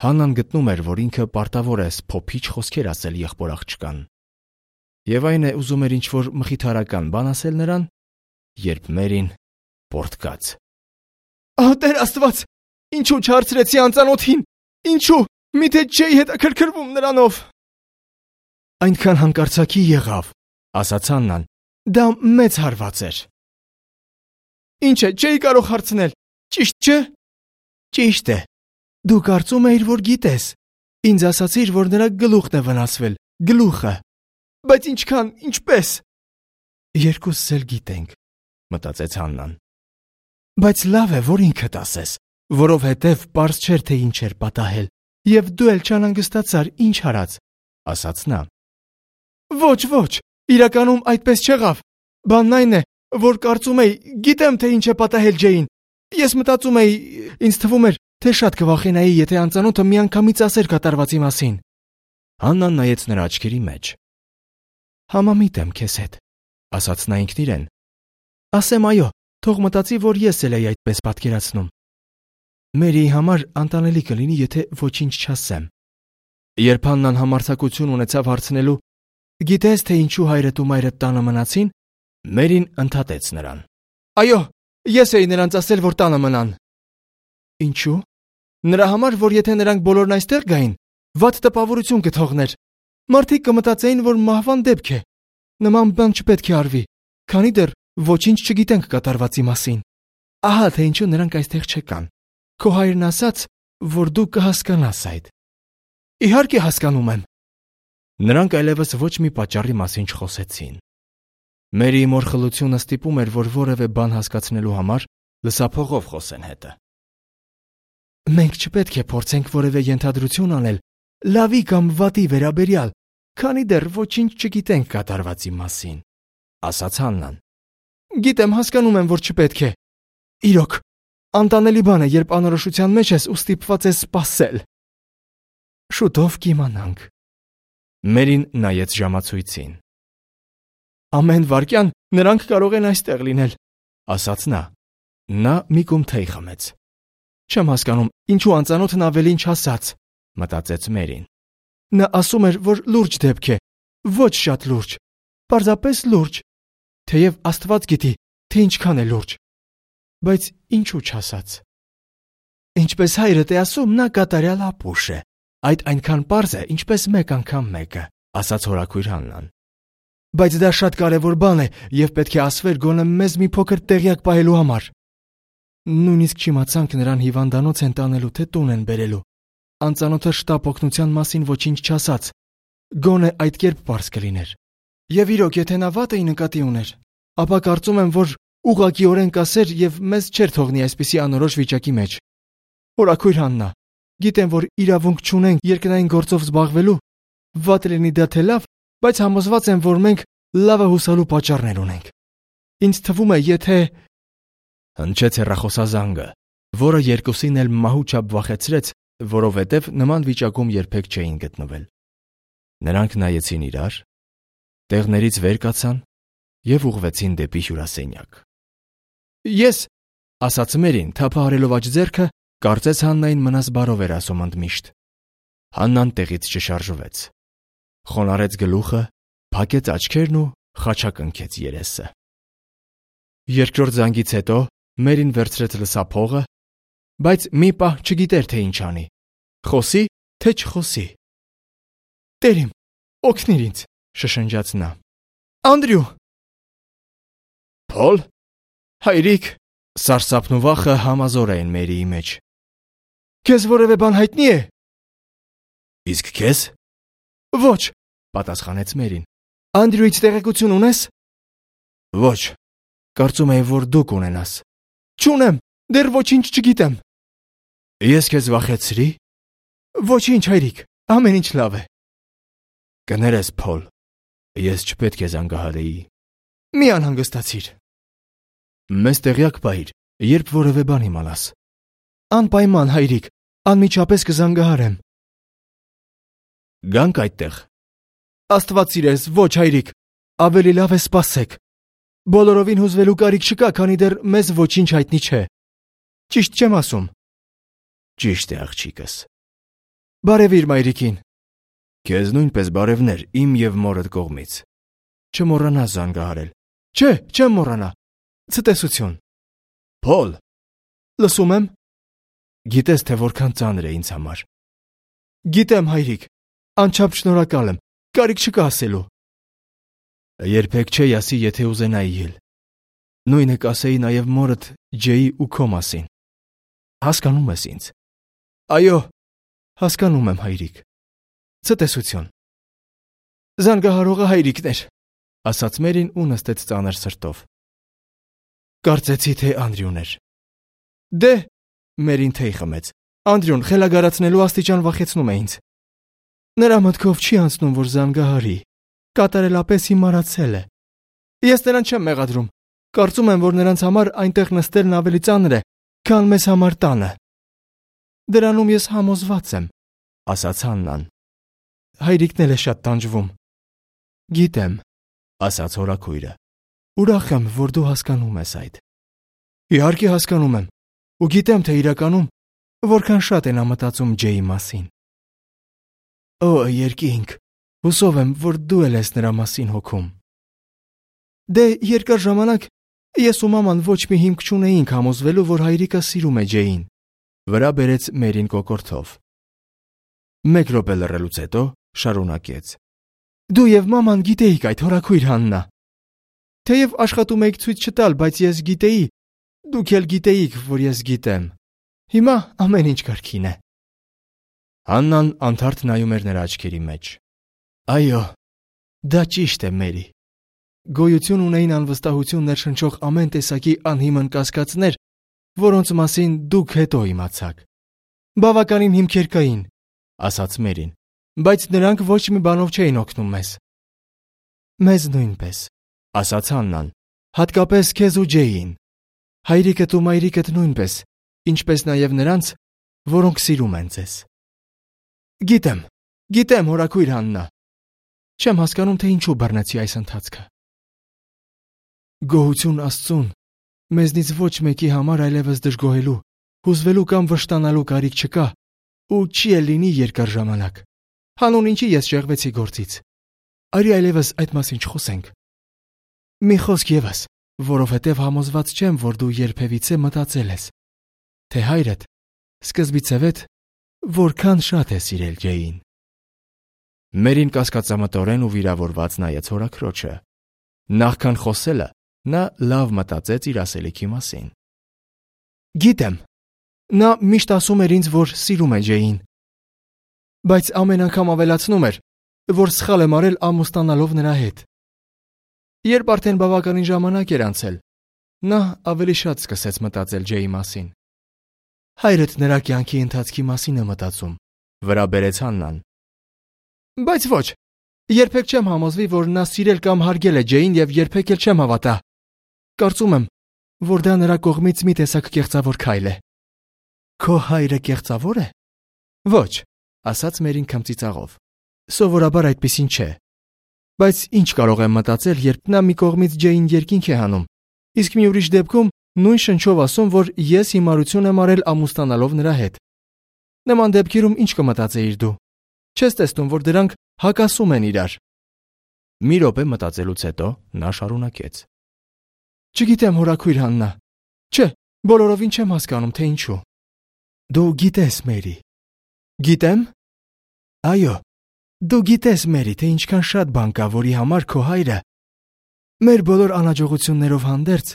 Հաննան գտնում էր, որ ինքը պարտավոր է փոփիչ խոսքեր ասել եղբոր աղջկան։ Եվ այն է ուզում էր ինչ-որ մխիթարական բան ասել նրան, երբ Մերին պորտկաց։ Ահա Տեր Աստված, ինչու չհարցրեցի անծանոթին, ինչու, միթե չէի հետաքրքրվում նրանով։ Այնքան հանկարծակի եղավ, ասաց Հաննան, դա մեծ հարված էր։ Ինչ է, չէի կարող հարցնել, ճիշտ չէ։ Ճիշտ է, դու կարծում էիր, որ գիտես, ինձ ասացիր, որ նրա գլուխն է վնասվել, գլուխը։ Բայց ինչքան, ինչպես։ Երկուսս էլ գիտենք, մտածեց Հաննան։ Բայց լավ է, որ ինքդ ասես, որովհետև պարզ չէր, թե ինչ էր պատահել, եւ դու էլ չանհանգստացար, ինչ արած, ասաց նա։ Ոչ, իրականում այդպես չեղավ։ Բանն այն է, որ կարծում էի, գիտեմ, թե ինչ է պատահել Ջեյին։ Ես մտածում էի, ինձ թվում էր, թե շատ կվախենայի, եթե անծանոթը միանգամից ասեր կատարվածի մասին։ Հաննան նայեց նրա աչքերի մեջ։ Համամիտ եմ քեզ հետ, ասաց նա ինքն իրեն։ Ասեմ այո, թող մտածի, որ ես էլ էի այդպես պատկերացնում։ Մերիի համար անտանելի կլինի, եթե ոչինչ չասեմ։ Երբ Հաննան համարձակություն ունեցավ հարցնելու, գիտես, թե ինչու հայրդ ու մայրդ տանը մնացին, Մերին ընդհատեց նրան։ Այո, ես էի նրանց ասել, որ տանը մնան։ Ինչու։ Նրա համար, որ եթե նրանք բոլորն այստեղ գային, վատ տպավորություն կթողներ։ Մարդիկ կմտածեին, որ մահվան դեպք է։ Նման բան չպետք է արվի, քանի դեռ ոչինչ չգիտենք կատարվածի մասին։ Ահա թե ինչու նրանք այստեղ չկան։ Քո հայրն ասաց, որ դու կհասկանաս այդ։ Իհարկե հասկանում եմ։ Նրանք այլևս ոչ մի պատճառի մասին չխոսեցին։ Մերիի մորխլությունը ստիպում էր, որ որևէ բան հասկացնելու համար լսափողով խոսեն հետը։ Մենք չպետք է փորձենք որևէ ենթադրություն անել լավի կամ վատի վերաբերյալ, քանի դեռ ոչինչ չգիտենք կատարվածի մասին, ասաց Հաննան։ Գիտեմ, հասկանում եմ, որ չպետք է։ Իրոք, անտանելի բան է, երբ անորոշության մեջ ես ու ստիպված ես սպասել։ Շուտով կիմանանք։ Մերին նայեց ժամացույցին։ Ամեն վայրկյան նրանք կարող են այստեղ լինել, ասաց նա։ Նա մի կում թեյ խմեց։ Չեմ հասկանում, ինչու անծանոթն ավելին չասաց, մտածեց Մերին։ Նա ասում էր, որ լուրջ դեպք է, ոչ շատ լուրջ, պարզապես լուրջ, թեև Աստված գիտի, թե ինչքան է լուրջ, բայց ինչու չասաց։ Ինչպես հայրդ է ասում, նա կատարյալ ապուշ է, այդ այնքան պարզ է, ինչպես մեկ անգամ մեկը, ասաց հորաքույր Հաննան։ Բայց դա շատ կարևոր բան է և պետք է ասվեր գոնե մեզ մի փոքր տեղյակ պահելու համար։ Նույնիսկ չիմացանք նրան հիվանդանոց են տանելու, թե տուն են բերելու։ Անծանոթը շտապ օգնության մասին ոչինչ չասաց, գոնե այդ կերպ պարզ կլիներ։ Եվ իրոք, եթե նա վատը նկատի ուներ, ապա կարծում եմ, որ ուղղակիորեն կասեր և մեզ չէր թողնի այսպիսի անորոշ վիճակի մեջ։ Հորաքույր Հաննա, գիտեմ, որ իրավունք չունենք երկնային գործով զբաղվելու, վատ լինի դա թե լավ, բայց համոզված եմ, որ մենք լավը հուսալու պատճառներ ունենք։ Ինձ թվում է, եթե… Հնչեց հեռախոսազանգը, որը երկուսին էլ մահու չափ վախեցրեց, որովհետև նման վիճակում երբեք չէին գտնվել։ Նրանք նայեցին իրար, տեղներից վեր կացան և ուղղվեցին դեպի հյուրասենյակ։ Ես, ասաց Մերին, թափահարելով աջ ձեռքը, կարծես Հաննային մնաս բարով էր ասում ընդմիշտ։ Հաննան տեղից չշարժվեց։ Խոնարհեց գլուխը, փակեց աչքերն ու խաչակնքեց երեսը։ Երկրորդ զանգից հետո Մերին վերցրեց լսափողը, բայց մի պահ չգիտեր, թե ինչ անի։ Խոսի, թե չխոսի։ Տեր իմ, օգնիր ինձ, շշնջաց նա։ Անդրյու։ Փոլ։ Հայրիկ, սարսափն ու վախը համազոր էին Մերիի մեջ։ Քեզ որևէ բան հայտնի է։ Իսկ քեզ։ Ոչ, պատասխանեց Մերին։ Անդրյուից տեղեկություն ունես։ Ոչ, կարծում էի, որ դու կունենաս։ Չունեմ, դեռ ոչինչ չգիտեմ։ Ես քեզ վախեցրի։ Ոչինչ, հայրիկ, ամեն ինչ լավ է։ Կներես, Փոլ, ես չպետք է զանգահարեի։ Մի անհանգստացիր։ Մեզ տեղյակ պահիր, երբ որևէ բան իմանաս։ Անպայման, հայրիկ, անմիջապես կզանգահարեմ։ Գանք այդտեղ։ Աստված սիրես, ոչ, հայրիկ, ավելի լավ է սպասեք։ Բոլորովին հուզվելու կարիք չկա, քանի դեռ մեզ ոչինչ հայտնի չէ։ Ճիշտ չեմ ասում։ Ճիշտ է, աղջիկս։ Բարևիր մայրիկին։ Քեզ նույնպես բարևներ իմ և մորդ կողմից։ Չմոռանաս զանգահարել։ Չէ, չեմ մոռանա։ Ցտեսություն։ Փոլ։ Լսում եմ։ Գիտես, թե որքան ծանր է ինձ համար։ Գիտեմ, հայրիկ, անչափ շնորհակալ եմ, կարիք չկա ասելու։ Երբեք չէի ասի, եթե ուզենայի էլ։ Նույնը կասեի նաև մորդ Ջեյի ու քո մասին։ Հասկանում ես ինձ։ Այո, հասկանում եմ, հայրիկ։ Ցտեսություն։ Զանգահարողը հայրիկն էր, ասաց Մերին ու նստեց ծանր սրտով։ Կարծեցի, թե Անդրյուն էր։ Դե, Մերին թեյ խմեց։ Անդրյուն խելագարացնելու աստիճան վախեցնում է ինձ։ Նրա մտքով չի անցնում, որ զանգահարի։ Կատարելապես իմարացել է։ Ես նրան չեմ մեղադրում։ Կարծում եմ, որ նրանց համար այնտեղ նստելն ավելի ծանր է, քան մեզ համար տանը։ Դրանում ես համոզված եմ, ասաց Հաննան։ Հայրիկն էլ է շատ տանջվում։ Գիտեմ, ասաց հորաքույրը։ Ուրախ եմ, որ դու հասկանում ես այդ։ Իհարկե հասկանում եմ, ու գիտեմ, թե իրականում որքան շատ է նա մտածում Ջեյի մասին։ Օ, երկինք, հուսով եմ, որ դու էլ ես նրա մասին հոգում։ Դե երկար ժամանակ ես ու մաման ոչ մի հիմք չունեինք համոզվելու, որ հայրիկը սիրում է Ջեյին, վրա բերեց Մերին կոկորդով։ Մեկ րոպե լռելուց հետո շարունակեց. Դու և մաման գիտեիք այդ, հորաքույր Հաննա։ Թեև աշխատում էիք ցույց չտալ, բայց ես գիտեի, դուք էլ գիտեիք, որ ես գիտեմ։ Հիմա ամեն ինչ կարգին է։ Հաննան անթարթ նայում էր նրա աչքերի մեջ։ Այո, դա ճիշտ է, Մերի։ Գոյություն ունեին անվստահություն ներշնչող ամեն տեսակի անհիմն կասկածներ, որոնց մասին դուք հետո իմացաք։ Բավականին հիմքեր կային, ասաց Մերին, բայց նրանք ոչ մի բանով չէին օգնում մեզ։ Մեզ նույնպես, ասաց Հաննան, հատկապես քեզ ու Ջեյին։ Հայրիկդ ու մայրիկդ նույնպես, ինչպես նաև նրանց, որոնք սիրում են ձեզ։ Գիտեմ, հորաքույր Հաննա։ Չեմ հասկանում, թե ինչու բռնեցի այս ընթացքը։ Գոհություն Աստծուն, մեզնից ոչ մեկի համար այլևս դժգոհելու, հուզվելու կամ վշտանալու կարիք չկա, ու չի էլ լինի երկար ժամանակ։ Հանուն ինչի ես շեղվեցի գործից։ Արի այլևս այդ մասին չխոսենք։ Մի խոսք ևս, որովհետև համոզված չեմ, որ դու երբևիցե մտածել ես, թե հայրդ սկզբից եւեթ որքան շատ է սիրել Ջեյին։ Մերին կասկածամտորեն ու վիրավորված նայեց հորաքրոջը։ Նախքան խոսելը, նա լավ մտածեց իր ասելիքի մասին։ Գիտեմ, նա միշտ ասում էր ինձ, որ սիրում է Ջեյին, բայց ամեն անգամ ավելացնում էր, որ սխալ եմ արել ամուսնանալով նրա հետ։ Երբ արդեն բավականին ժամանակ էր անցել, նա ավելի շատ սկսեց մտածել Ջեյի մասին։ Հայրդ նրա կյանքի ընթացքի մասին է մտածում, վրա բերեց Հաննան։ Բայց ոչ, երբեք չեմ համոզվի, որ նա սիրել կամ հարգել է Ջեյին և երբեք էլ չեմ հավատա։ Կարծում եմ, որ դա նրա կողմից մի տեսակ կեղծավոր քայլ է։ Քո հայրը կեղծավոր է։ Ոչ, ասաց Մերին քմծիծաղով։ Սովորաբար այդպիսին չէ։ Բայց ինչ կարող եմ մտածել, երբ նա մի կողմից Ջեյին երկինք է հանում, իսկ մի ուրիշ դեպքում նույն շնչով ասում, որ ես հիմարություն եմ արել ամուսնանալով նրա հետ։ Նման դեպքերում ինչ կմտածեիր դու։ Չես տեսնում, որ դրանք հակասում են իրար։ Մի րոպե մտածելուց հետո նա շարունակեց. Չգիտեմ, հորաքույր Հաննա։ Չէ, բոլորովին չեմ հասկանում, թե ինչու։ Դու գիտես, Մերի։ Գիտեմ։ Այո, դու գիտես, Մերի, թե ինչքան շատ բան կա, որի համար քո հայրը մեր բոլոր անհաջողություններով հանդերձ,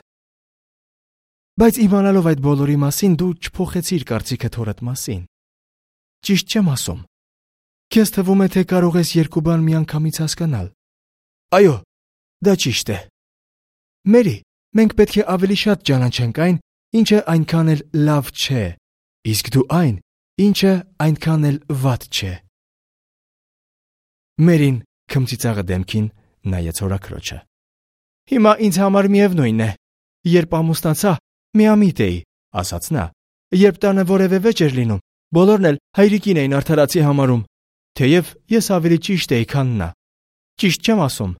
բայց իմանալով այդ բոլորի մասին դու չփոխեցիր կարծիքդ հորդ մասին։ Ճիշտ չեմ ասում։ Քեզ թվում է, թե կարող ես երկու բան միանգամից հասկանալ։ Այո, դա ճիշտ է։ Մերի, մենք պետք է ավելի շատ ճանաչենք այն, ինչը այնքան էլ լավ չէ, իսկ դու այն, ինչը այնքան էլ վատ չէ։ Մերին քմծիծաղը դեմքին նայեց հորաքրոջը։ Հիմա ինձ համար միևնույն է։ Երբ ամուսնացա, միամիտ էի, ասաց նա։ Երբ տանը որևէ վեճ էր լինում, բոլորն էլ հայրիկին էին արդարացի համարում, թեև ես ավելի ճիշտ էի, քան նա։ Ճիշտ չեմ ասում։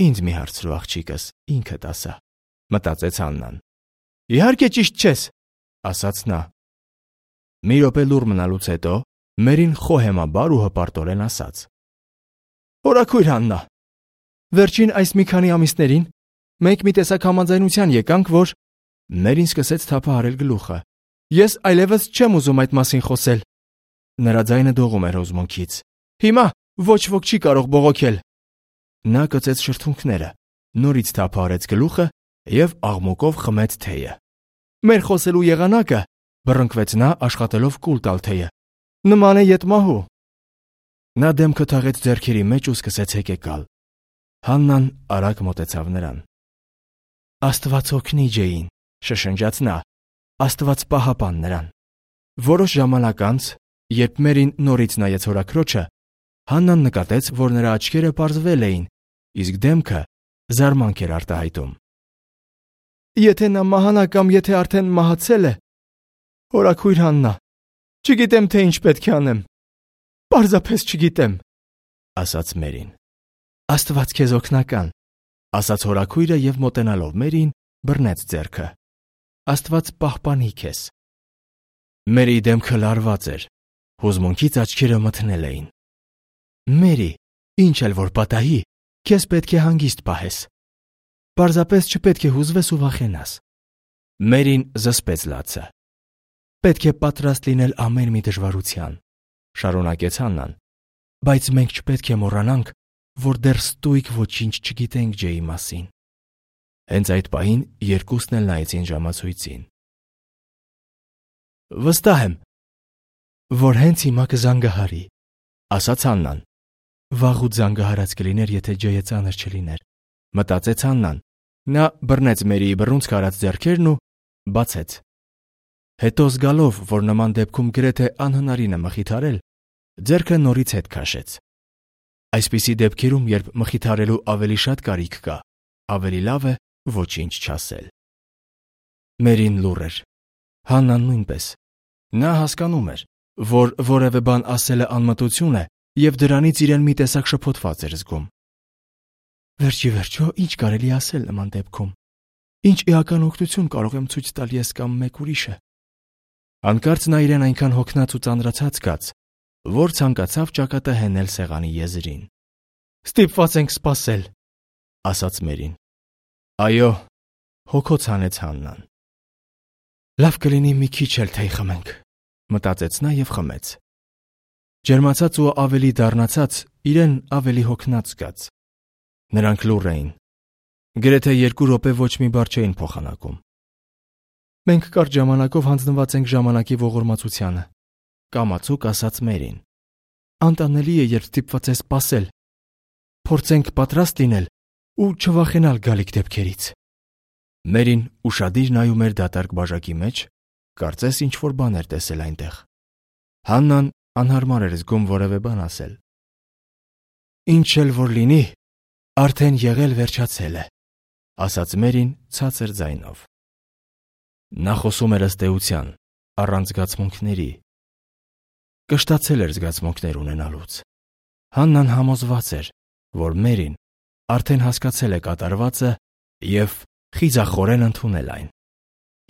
Ինձ մի հարցրու, աղջիկս, ինքդ ասա, մտածեց Հաննան։ Իհարկե ճիշտ չես, ասաց նա։ Մի րոպե լուռ մնալուց հետո Մերին խոհեմաբար ու հպարտորեն ասաց. Հորաքույր Հաննա, վերջին այս մի քանի ամիսներին մենք մի տեսակ համաձայնության եկանք, որ Մերին սկսեց թափահարել գլուխը։ Ես այլևս չեմ ուզում այդ մասին խոսել։ Նրա ձայնը դողում էր հուզմունքից։ Հիմա ոչ ոք չի կարող բողոքել։ Նա կծեց շրթունքները, նորից թափահարեց գլուխը և աղմուկով խմեց թեյը։ Մեր խոսելու եղանակը, բռնկվեց նա աշխատելով կուլ տալ թեյը, նման է ետմահու։ Նա դեմքը թաղեց ձեռքերի մեջ ու սկսեց հեկեկալ։ Հաննան արագ մոտեցավ նրան։ Աստված օգնի Ջեյին, շշնջաց նա, Աստված պահապան նրան։ Որոշ ժամանակ անց, երբ Մերին նորից նայեց հորաքրոջը, Հաննան նկատեց, որ նրա աչքերը պարզվել էին, իսկ դեմքը զարմանք էր արտահայտում։ Եթե նա մահանա կամ եթե արդեն մահացել է, հորաքույր Հաննա, չգիտեմ, թե ինչ պետք է անեմ։ Պարզապես չգիտեմ, ասաց Մերին։ Աստված քեզ օգնական, ասաց հորաքույրը և մոտենալով Մերին բռնեց ձեռքը։ Աստված պահպանի քեզ։ Մերի դեմքը լարված էր, հուզմունքից աչքերը մթնել էին։ Մերի, ինչ էլ որ պատահի, քեզ պետք է հանգիստ պահես։ Պարզապես չպետք է հուզվես ու վախենաս։ Մերին զսպեց լացը։ Պետք է պատրաստ լինել ամեն մի դժվարության, շարունակեց Հաննան, բայց մենք չպետք է մոռանանք, որ դեռ ստույգ ոչինչ չգիտենք Ջեյի մասին։ Հենց այդ պահին երկուսն էլ նայեցին ժամացույցին։ Վստահ եմ, որ հենց հիմա կզանգահարի, ասաց Հաննան։ Վաղուց զանգահարած կլիներ, եթե Ջեյը ծանր չլիներ, մտածեց Հաննան։ Նա բռնեց Մերիի բռունցք արած ձեռքերն ու բացեց։ Հետո զգալով, որ նման դեպքում գրեթե անհնարին է մխիթարել, ձեռքը նորից հետ քաշեց։ Այսպիսի դեպքերում, երբ մխիթարելու ավելի շատ կարիք կա, ավելի լավ է ոչինչ չասել։ Մերին լուռ էր։ Հաննան նույնպես։ Նա հասկանում էր, որ որևէ բան ասելը անմտություն է, եւ դրանից իրեն մի տեսակ շփոթված էր զգում։ Վերջի վերջո, ինչ կարելի ասել նման դեպքում։ Ինչ էական օգնություն կարող եմ ցույց տալ ես կամ մեկ ուրիշը։ Հանկարծ նա իրեն այնքան հոգնած ու ծանրացած զգաց, որ ցանկացավ ճակատը հենել սեղանի եզրին։ Ստիպված ենք սպասել, ասաց Մերին։ Այո, հոգոց հանեց Հաննան։ Լավ կլինի մի քիչ էլ թեյ խմենք, մտածեց նա եւ խմեց։ Ջերմացած ու ավելի դառնացած, իրեն ավելի հոգնած զգաց։ Նրանք լուռ էին։ Գրեթե 2 րոպե ոչ մի բառ չէին փոխանակում։ Մենք կարճ ժամանակով հանձնված ենք ժամանակի ողորմածությանը, կամացուկ ասաց Մերին։ Անտանելի է, երբ ստիպված ես սպասել։ Փորձենք պատրաստ լինել ու չվախենալ գալիք դեպքերից։ Մերին ուշադիր նայում էր դատարկ բաժակի մեջ, կարծես ինչ-որ բան էր տեսել այնտեղ։ Հաննան անհարմար էր զգում որևէ բան ասել։ Ինչ էլ որ լինի, արդեն եղել վերջացել է, ասաց Մերին ցածր ձայնով։ Նա խոսում էր ըստ էության, առանց զգացմունքների։ Կշտացել էր զգացմունքներ ունենալուց։ Հաննան համոզված էր, որ Մերին արդեն հասկացել է կատարվածը եւ խիզախորեն ընդունել այն։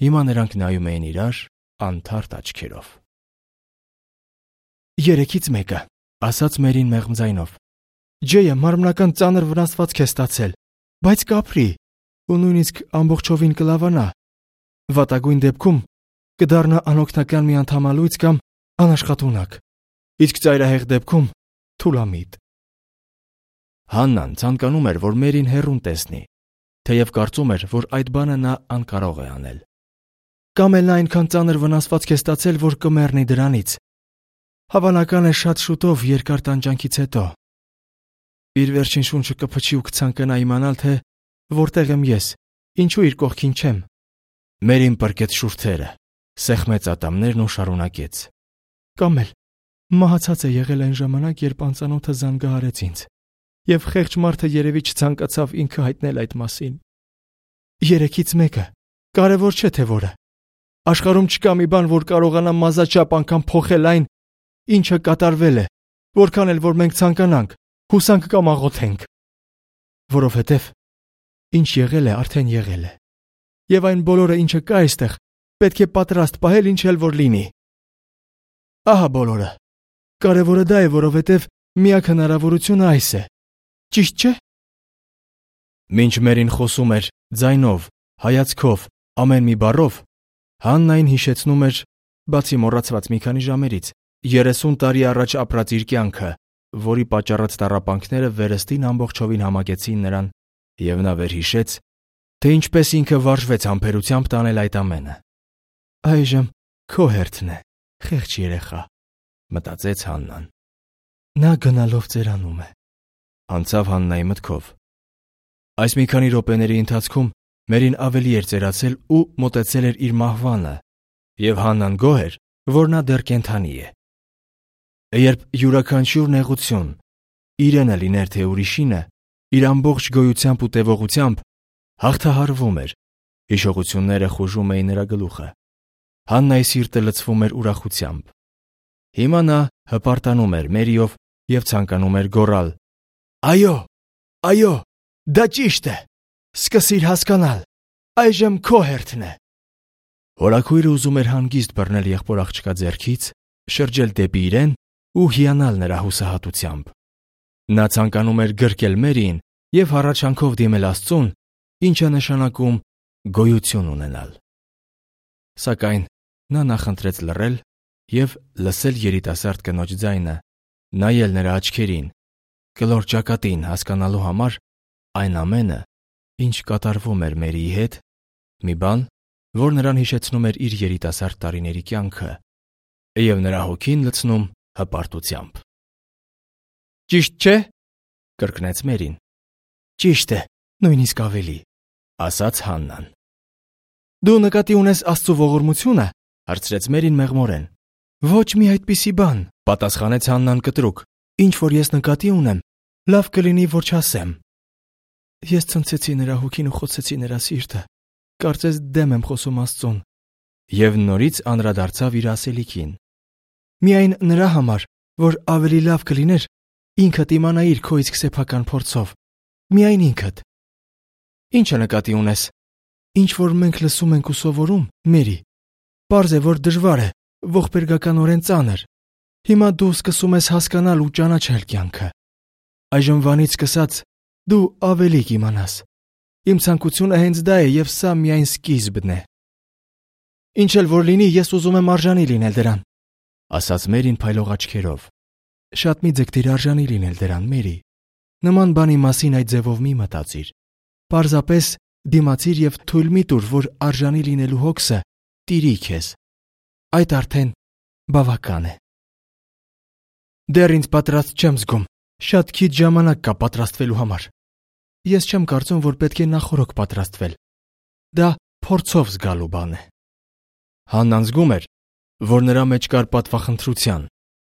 Հիմա նրանք նայում էին իրար անթարթ աչքերով։ Երեքից մեկը, ասաց Մերին մեղմ ձայնով։ Ջեյը մարմնական ծանր վնասվածք է ստացել, բայց կապրի ու նույնիսկ ամբողջովին կլավանա։ Վատագույն դեպքում կդառնա անօգնական մի անդամալույց կամ անաշխատունակ, իսկ ծայրահեղ դեպքում թուլամիտ։ Հաննան ցանկանում էր, որ Մերին հեռուն տեսնի, թեև կարծում էր, որ այդ բանը նա անկարող է անել։ Կամ էլ նա այնքան ծանր վնասվածք է ստացել, որ կմեռնի դրանից։ Հավանական է շատ շուտով երկար տանջանքից հետո։ Իր վերջին շունչը կփչի ու կցանկանա իմանալ, թե որտեղ եմ ես, ինչու իր կողքին չեմ։ Մերին պրկեց շուրթերը, սեղմեց ատամներն ու շարունակեց։ Կամ էլ մահացած է եղել այն ժամանակ, երբ անծանոթը զանգահարեց ինձ, եւ խեղճ մարդը երևի չցանկացավ ինքը հայտնել այդ մասին։ Երեքից մեկը, կարևոր չէ թե որը։ Աշխարհում չկա մի բան, որ կարողանա մազաչափ անգամ փոխել այն, ինչը կատարվել է, որքան էլ որ մենք ցանկանանք, հուսանք կամ աղոթենք։ Որովհետև ինչ եղել է, արդեն եղել է։ Եվ այն բոլորը, ինչը կա այստեղ, պետք է պատրաստ պահել ինչ էլ որ լինի։ Ահա բոլորը։ Կարևորը դա է, որովհետև միակ հնարավորությունը այս է։ Ճիշտ չէ՞։ Մինչ Մերին խոսում էր ձայնով, հայացքով, ամեն մի բառով, Հաննային հիշեցնում էր, բացի մոռացված մի քանի ժամերից, 30 տարի առաջ ապրած իր կյանքը, որի պատճառած տառապանքները վերստին ամբողջովին համակեցին նրան, եւ նա վերհիշեց, թե ինչպես ինքը վարժվեց համբերությամբ տանել այդ ամենը։ Այժմ քո հերթն է, խեղճ երեխա, մտածեց Հաննան։ Նա գնալով ծերանում է, անցավ Հաննայի մտքով։ Այս մի քանի րոպեների ընթացքում Մերին ավելի էր ծերացել ու մոտեցել էր իր մահվանը, եւ Հաննան գոհ էր, որ նա դեռ կենդանի է։ Երբ յուրաքանչյուր նեղություն, իրենը լիներ թե ուրիշինը, իր ամբողջ գոյությամբ ու տևողությամբ հաղթահարվում էր, հիշողությունները խուժում էին նրա գլուխը։ Հաննայի սիրտը լցվում էր ուրախությամբ։ Հիմա նա հպարտանում էր Մերիով եւ ցանկանում էր գոռալ. Այո, այո, դա ճիշտ է։ Սկսիր հասկանալ, այժմ քո հերթն է։ Հորաքույրը ուզում էր հանգիստ բռնել եղբոր աղջկա ձեռքից, շրջել դեպի իրեն ու հիանալ նրա հուսահատությամբ։ Նա ցանկանում էր գրկել Մերիին եւ հառաչանքով դիմել Աստծուն, ինչը նշանակում գոյություն ունենալ։ Սակայն նա նախընտրեց լռել եւ լսել երիտասարդ կնոջ ձայնը, նայել նրա աչքերին, կլոր ճակատին հասկանալու համար այն ամենը, ինչ կատարվում էր Մերիի հետ, մի բան, որ նրան հիշեցնում էր իր երիտասարդ տարիների կյանքը եւ նրա հոգին լցնում հպարտությամբ։ Ճիշտ չէ՞, կրկնեց Մերին։ Ճիշտ է, նույնիսկ ավելի, ասաց Հաննան։ Դու նկատի ունես Աստծո ողորմությունը, հարցրեց Մերին մեղմորեն։ Ոչ մի այդպիսի բան, պատասխանեց Հաննան կտրուկ։ Ինչ որ ես նկատի ունեմ, լավ կլինի որ չասեմ։ Ես ցնցեցի նրա հոգին ու խոցեցի նրա սիրտը։ Կարծես դեմ եմ խոսում Աստծուն։ Եվ նորից անդրադարձավ իր ասելիքին։ Միայն նրա համար, որ ավելի լավ կլիներ ինքդ իմանայիր քո իսկ սեփական փորձով։ Միայն ինքդ։ Ի՞նչը նկատի ունես։ Ինչ որ մենք լսում ենք ու սովորում, Մերի, պարզ է, որ դժվար է, ողբերգականորեն ծանր։ Հիմա դու սկսում ես հասկանալ ու ճանաչել կյանքը։ Այժմվանից սկսած դու ավելի կիմանաս։ Իմ ցանկությունը հենց դա է, եւ սա միայն սկիզբն է։ Ինչ էլ որ լինի, ես ուզում եմ արժանի լինել դրան, ասաց Մերին փայլող աչքերով։ Շատ մի ձգտիր արժանի լինել դրան, Մերի։ Նման բանի մասին այդ ձևով մի մտածիր։ Պարզապես դիմացիր եւ թույլ մի տուր, որ արժանի լինելու հոգսը տիրի քեզ։ Այդ արդեն բավական է։ Դեռ ինձ պատրաստ չեմ զգում։ Շատ քիչ ժամանակ կա պատրաստվելու համար։ Ես չեմ կարծում, որ պետք է նախօրոք պատրաստվել։ Դա փորձով զգալու բան է։ Հաննան զգում էր, որ նրա մեջ կար պատվախնդրության,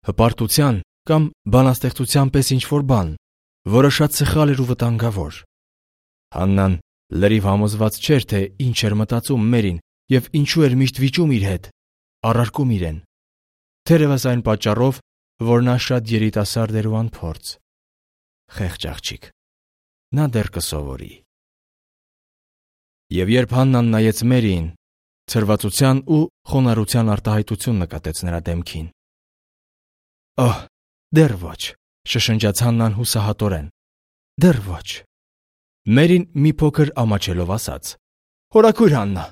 հպարտության կամ բանաստեղծության պես ինչ-որ բան, որը շատ սխալ էր ու վտանգավոր։ Հաննան լրիվ համոզված չէր, թե ինչ էր մտածում Մերին եւ ինչու էր միշտ վիճում իր հետ, առարկում իրեն։ Թերևս այն պատճառով, որ նա շատ երիտասարդ էր ու անփորձ։ Խեղճ աղջիկ։ Նա դեռ կսովորի։ Եվ երբ Հաննան նայեց Մերիին, ցրվածության ու խոնարհության արտահայտություն նկատեց նրա դեմքին։ Օհ, դեռ ոչ, շշնջաց Հաննան հուսահատորեն։ Դեռ ոչ։ Մերին մի փոքր ամաչելով ասաց. Հորաքույր Հաննա,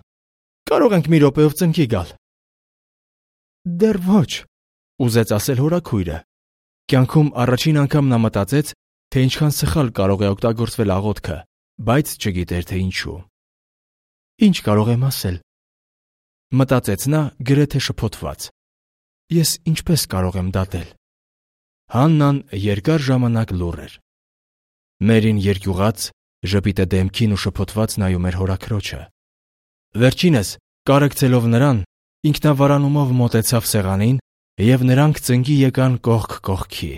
կարող ենք մի րոպեով ծնկի գալ։ Դեռ ոչ, ուզեց ասել հորաքույրը։ Կյանքում առաջին անգամ նա մտածեց, թե ինչքան սխալ կարող է օգտագործվել աղոթքը, բայց չգիտեր թե ինչու։ Ինչ կարող եմ ասել։ Մտածեց նա գրեթե շփոթված։ Ես ինչպես կարող եմ դատել։ Հաննան երկար ժամանակ լուռ էր։ Մերին երկյուղած, ժպիտը դեմքին ու շփոթված նայում էր հորաքրոջը։ Վերջինս, կարեկցելով նրան, ինքնավարանումով մոտեցավ սեղանին եւ նրանք ծնկի եկան կողք կողքի։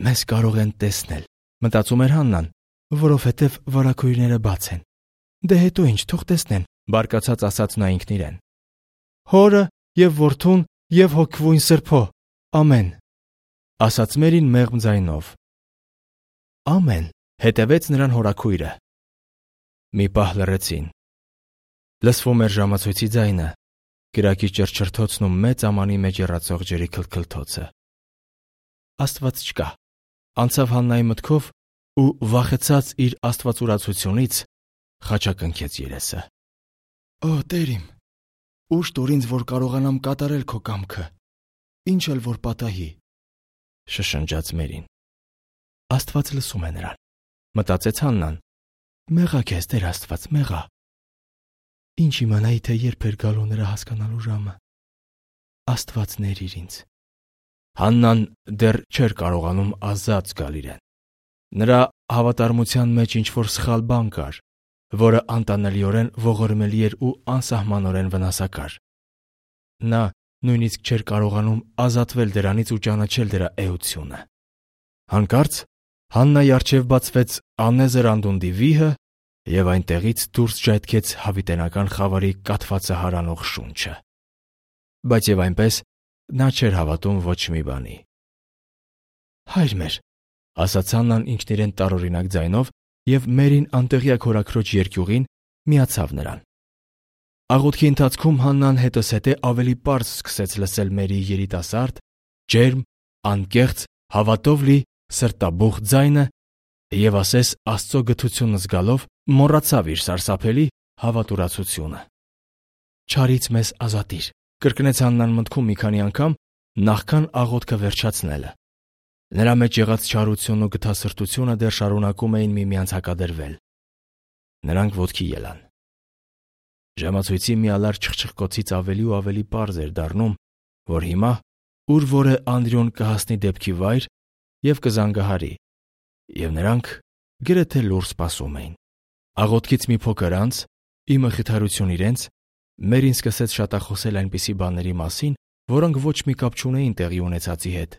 Մեզ կարող են տեսնել, մտածում էր Հաննան, որովհետև վարակույրները բաց են։ Դե հետո ինչ, թող տեսնեն, բարկացած ասաց նա ինքն իրեն։ Հորը եւ որդուն եւ հոգվույն Սրբո, ամեն, ասաց Մերին մեղմ ձայնով։ Ամեն, հետևեց նրան հորաքույրը։ Մի պահ լռեցին։ Լսվում էր ժամացույցի ձայնը, կրակի ճռճռթոցն ու մեծ ամանի մեջ եռացող ջրի քլքլթոցը։ Աստված չկա, անցավ Հաննայի մտքով ու վախեցած իր աստվածուրացությունից խաչակնքեց երեսը։ Օ, Տեր իմ, ուշ տուր ինձ, որ կարողանամ կատարել քո կամքը, ինչ էլ որ պատահի, շշնջաց Մերին։ Աստված լսում է նրան, մտածեց Հաննան։ Մեղա քեզ, Տեր Աստված, մեղա։ Ինչ իմանայի, թե երբ էր գալու նրա հասկանալու ժամը։ Աստված ներիր ինձ։ Հաննան դեռ չէր կարողանում ազատ զգալ իրեն։ Նրա հավատարմության մեջ ինչ-որ սխալ բան կար, որը անտանելիորեն ողորմելի էր ու անսահմանորեն վնասակար։ Նա նույնիսկ չէր կարողանում ազատվել դրանից ու ճանաչել դրա էությունը։ Հանկարծ Հաննայի առջև բացվեց անեզր անդունդի վիհը եւ այնտեղից դուրս ժայթքեց հավիտենական խավարի կաթվածը հարանող շունչը։ Բայց եւ այնպես նա չէր հավատում ոչ մի բանի։ Հայր մեր, ասաց Հաննան ինքն իրեն տարօրինակ ձայնով եւ Մերին անտեղյակ հորաքրոջ երկյուղին միացավ նրան։ Աղոթքի ընթացքում Հաննան հետզհետե ավելի պարզ սկսեց լսել Մերիի երիտասարդ, ջերմ, անկեղծ, հավատով լի սրտաբուխ ձայնը եւ ասես Աստծո գթությունը զգալով մոռացավ իր սարսափելի հավատուրացությունը։ Չարից մեզ ազատիր, կրկնեց Հաննան մտքում մի քանի անգամ, նախքան աղոթքը վերջացնելը։ Նրա մեջ եղած չարությունն ու գթասրտությունը դեռ շարունակում էին միմյանց հակադրվել։ Նրանք ոտքի ելան։ Ժամացույցի միալար չխչխկոցից ավելի ու ավելի պարզ էր դառնում, որ հիմա ուր որը Անդրեոն կհասնի դեպքի վայր եւ կզանգահարի, եւ նրանք գրեթե լուռ սպասում էին։ Աղոթքից մի փոքր անց, ի մխիթարություն իրենց, Մերին սկսեց շատախոսել այնպիսի բաների մասին, որոնք ոչ մի կապ չունեին տեղի ունեցածի հետ։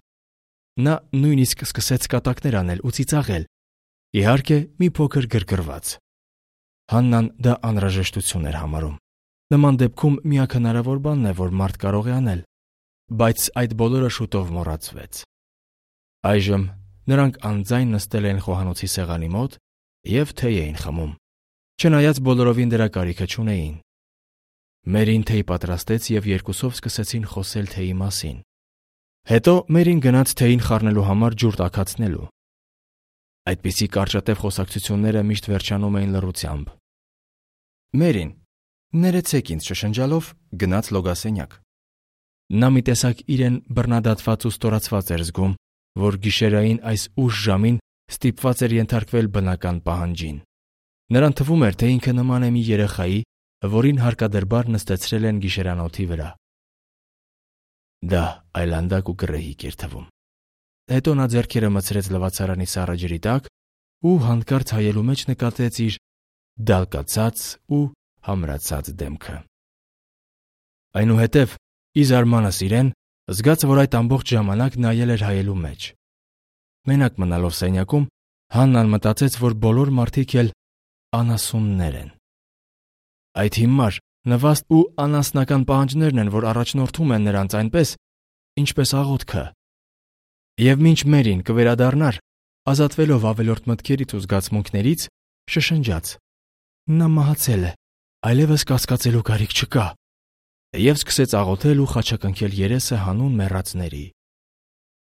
Նա նույնիսկ սկսեց կատակներ անել ու ծիծաղել, իհարկե մի փոքր գրգռված։ Հաննան դա անհրաժեշտություն էր համարում։ Նման դեպքում միակ հնարավոր բանն է, որ մարդ կարող է անել, բայց այդ բոլորը շուտով մոռացվեց։ Այժմ նրանք անձայն նստել էին խոհանոցի սեղանի մոտ և թեյ էին խմում, չնայած բոլորովին դրա կարիքը չունեին։ Մերին թեյ պատրաստեց և երկուսով սկսեցին խոսել թեյի մասին։ Հետո Մերին գնաց թեյին խառնելու համար ջուր տաքացնելու։ Այդպիսի կարճատև խոսակցությունները միշտ վերջանում էին լռությամբ։ Մերին, ներեցեք ինձ շշնջալով, գնաց լոգասենյակ։ Նա մի տեսակ իրեն բռնադատված ու ստորացված էր զգում, որ գիշերային այս ուշ ժամին ստիպված էր ենթարկվել բնական պահանջին։ Նրան թվում էր, թե ինքը նման է մի երեխայի, որին հարկադրբար նստեցրել են գիշերանոթի վրա։ Դա այլանդակ ու գռեհիկ էր թվում։ Հետո նա ձեռքերը մտցրեց լվացարանի սառը ջրի տակ ու հանկարծ հայելու մեջ նկատեց իր դալկացած ու համրացած դեմքը։ Այնուհետև, ի զարմանս իրեն, զգաց, որ այդ ամբողջ ժամանակ նայել էր հայելու մեջ։ Մենակ մնալով սենյակում, Հաննան մտածեց, որ բոլոր մարդիկ էլ անասուններ են։ Այդ հիմար, նվաստ ու անասնական պահանջներն են, որ առաջնորդում են նրանց այնպես, ինչպես աղոթքը։ Եվ մինչ Մերին կվերադառնար, ազատվելով ավելորդ մտքերից ու զգացմունքներից, շշնջաց. «Նա մահացել է, այլևս կասկածելու կարիք չկա», և սկսեց աղոթել ու խաչակնքել երեսը հանուն մեռածների։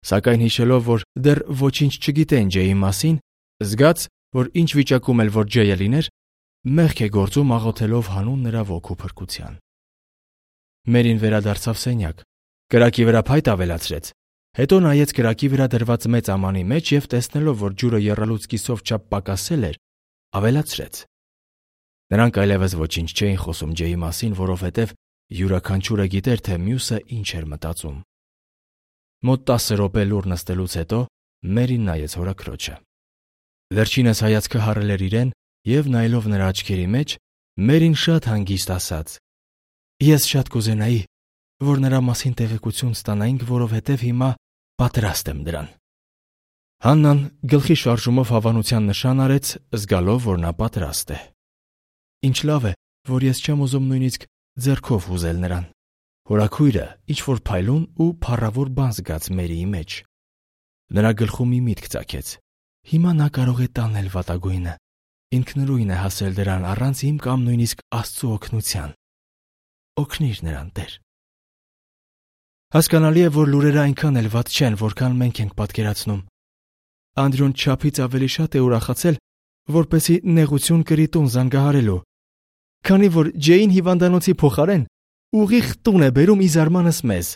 Սակայն հիշելով, որ դեռ ոչինչ չգիտեն Ջեյի մասին, զգաց, որ ինչ վիճակում էլ որ Ջեյը լիներ, մեղք է գործում աղոթելով հանուն նրա ոգու փրկության։ Մերին վերադարձավ սենյակ, կրակի վրա փայտ ավելացրեց, հետո նայեց կրակի վրա դրված մեծ ամանի մեջ և տեսնելով, որ ջուրը եռալուց կիսով չափ պակասել էր, ավելացրեց։ Նրանք այլևս ոչինչ չէին խոսում Ջեյի մասին, որովհետև յուրաքանչյուրը գիտեր, թե մյուսը ինչ էր մտածում։ Մոտ 10 րոպե լուռ նստելուց հետո Մերին նայեց հորաքրոջը։ Վերջինս հայացքը հառել էր իրեն և նայելով նրա աչքերի մեջ, Մերին շատ հանգիստ ասաց. «Ես շատ կուզենայի, որ նրա մասին տեղեկություն ստանայինք, որովհետև հիմա պատրաստ եմ դրան»։ Հաննան գլխի շարժումով հավանության նշան արեց, զգալով, որ նա պատրաստ է։ «Ինչ լավ է, որ ես չեմ ուզում նույնիսկ ձեռքով հուզել նրան»։ Հորաքույրը ինչ-որ փայլուն ու փառավոր բան զգաց Մերիի մեջ։ Նրա գլխում մի միտք ծագեց. հիմա նա կարող է տանել վատագույնը, ինքնուրույն է հասել դրան առանց իմ կամ նույնիսկ Աստծու օգնության։ Օգնիր նրան, Տեր։ Հասկանալի է, որ լուրերը այնքան էլ վատ չեն, որքան մենք ենք պատկերացնում։ Անդրյուն չափից ավելի շատ է ուրախացել, որպեսզի նեղություն կրի տուն զանգահարելու, քանի որ Ջեյին հիվանդանոցի փոխարեն ուղիղ տուն է բերում ի զարմանս մեզ։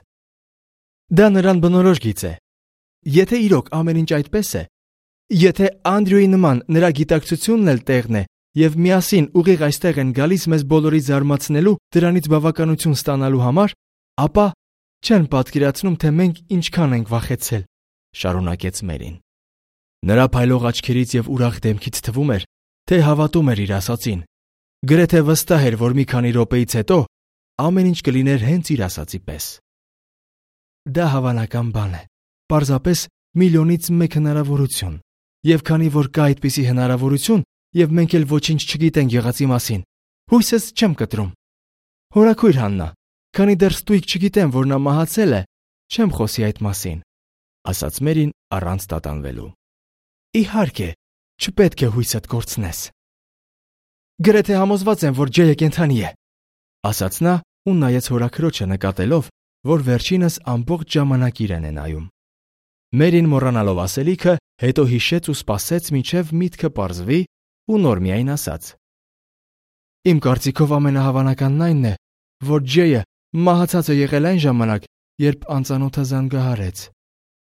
Դա նրան բնորոշ գիծ է։ Եթե իրոք ամեն ինչ այդպես է, եթե Անդրյուի նման նրա գիտակցությունն էլ տեղն է և միասին ուղիղ այստեղ են գալիս մեզ բոլորի զարմացնելու, դրանից բավականություն ստանալու համար, ապա չեն պատկերացնում, թե մենք ինչքան ենք վախեցել, շարունակեց Մերին։ Նրա փայլող աչքերից և ուրախ դեմքից թվում էր, թե հավատում էր իր ասածին։ Գրեթե վստահ էր, որ մի քանի րոպեից հետո ամեն ինչ կլիներ հենց իր ասածի պես։ Դա հավանական բան է, պարզապես միլիոնից մեկ հնարավորություն, և քանի որ կա այդպիսի հնարավորություն, և մենք էլ ոչինչ չգիտենք եղածի մասին, հույսս չեմ կտրում։ Հորաքույր Հաննա, քանի դեռ ստույգ չգիտեմ, որ նա մահացել է, չեմ խոսի այդ մասին, ասաց Մերին առանց տատանվելու։ Իհարկե, չպետք է հույսդ կորցնես։ Գրեթե համոզված եմ, որ Ջեյը կենդանի է, ասաց նա ու նայեց հորաքրոջը նկատելով, որ վերջինս ամբողջ ժամանակ իրեն է նայում։ Մերին մոռանալով ասելիքը, հետո հիշեց ու սպասեց, մինչև միտքը պարզվի ու նոր միայն ասաց. Իմ կարծիքով ամենահավանականն այն է, որ Ջեյը մահացած է եղել այն ժամանակ, երբ անծանոթը զանգահարեց։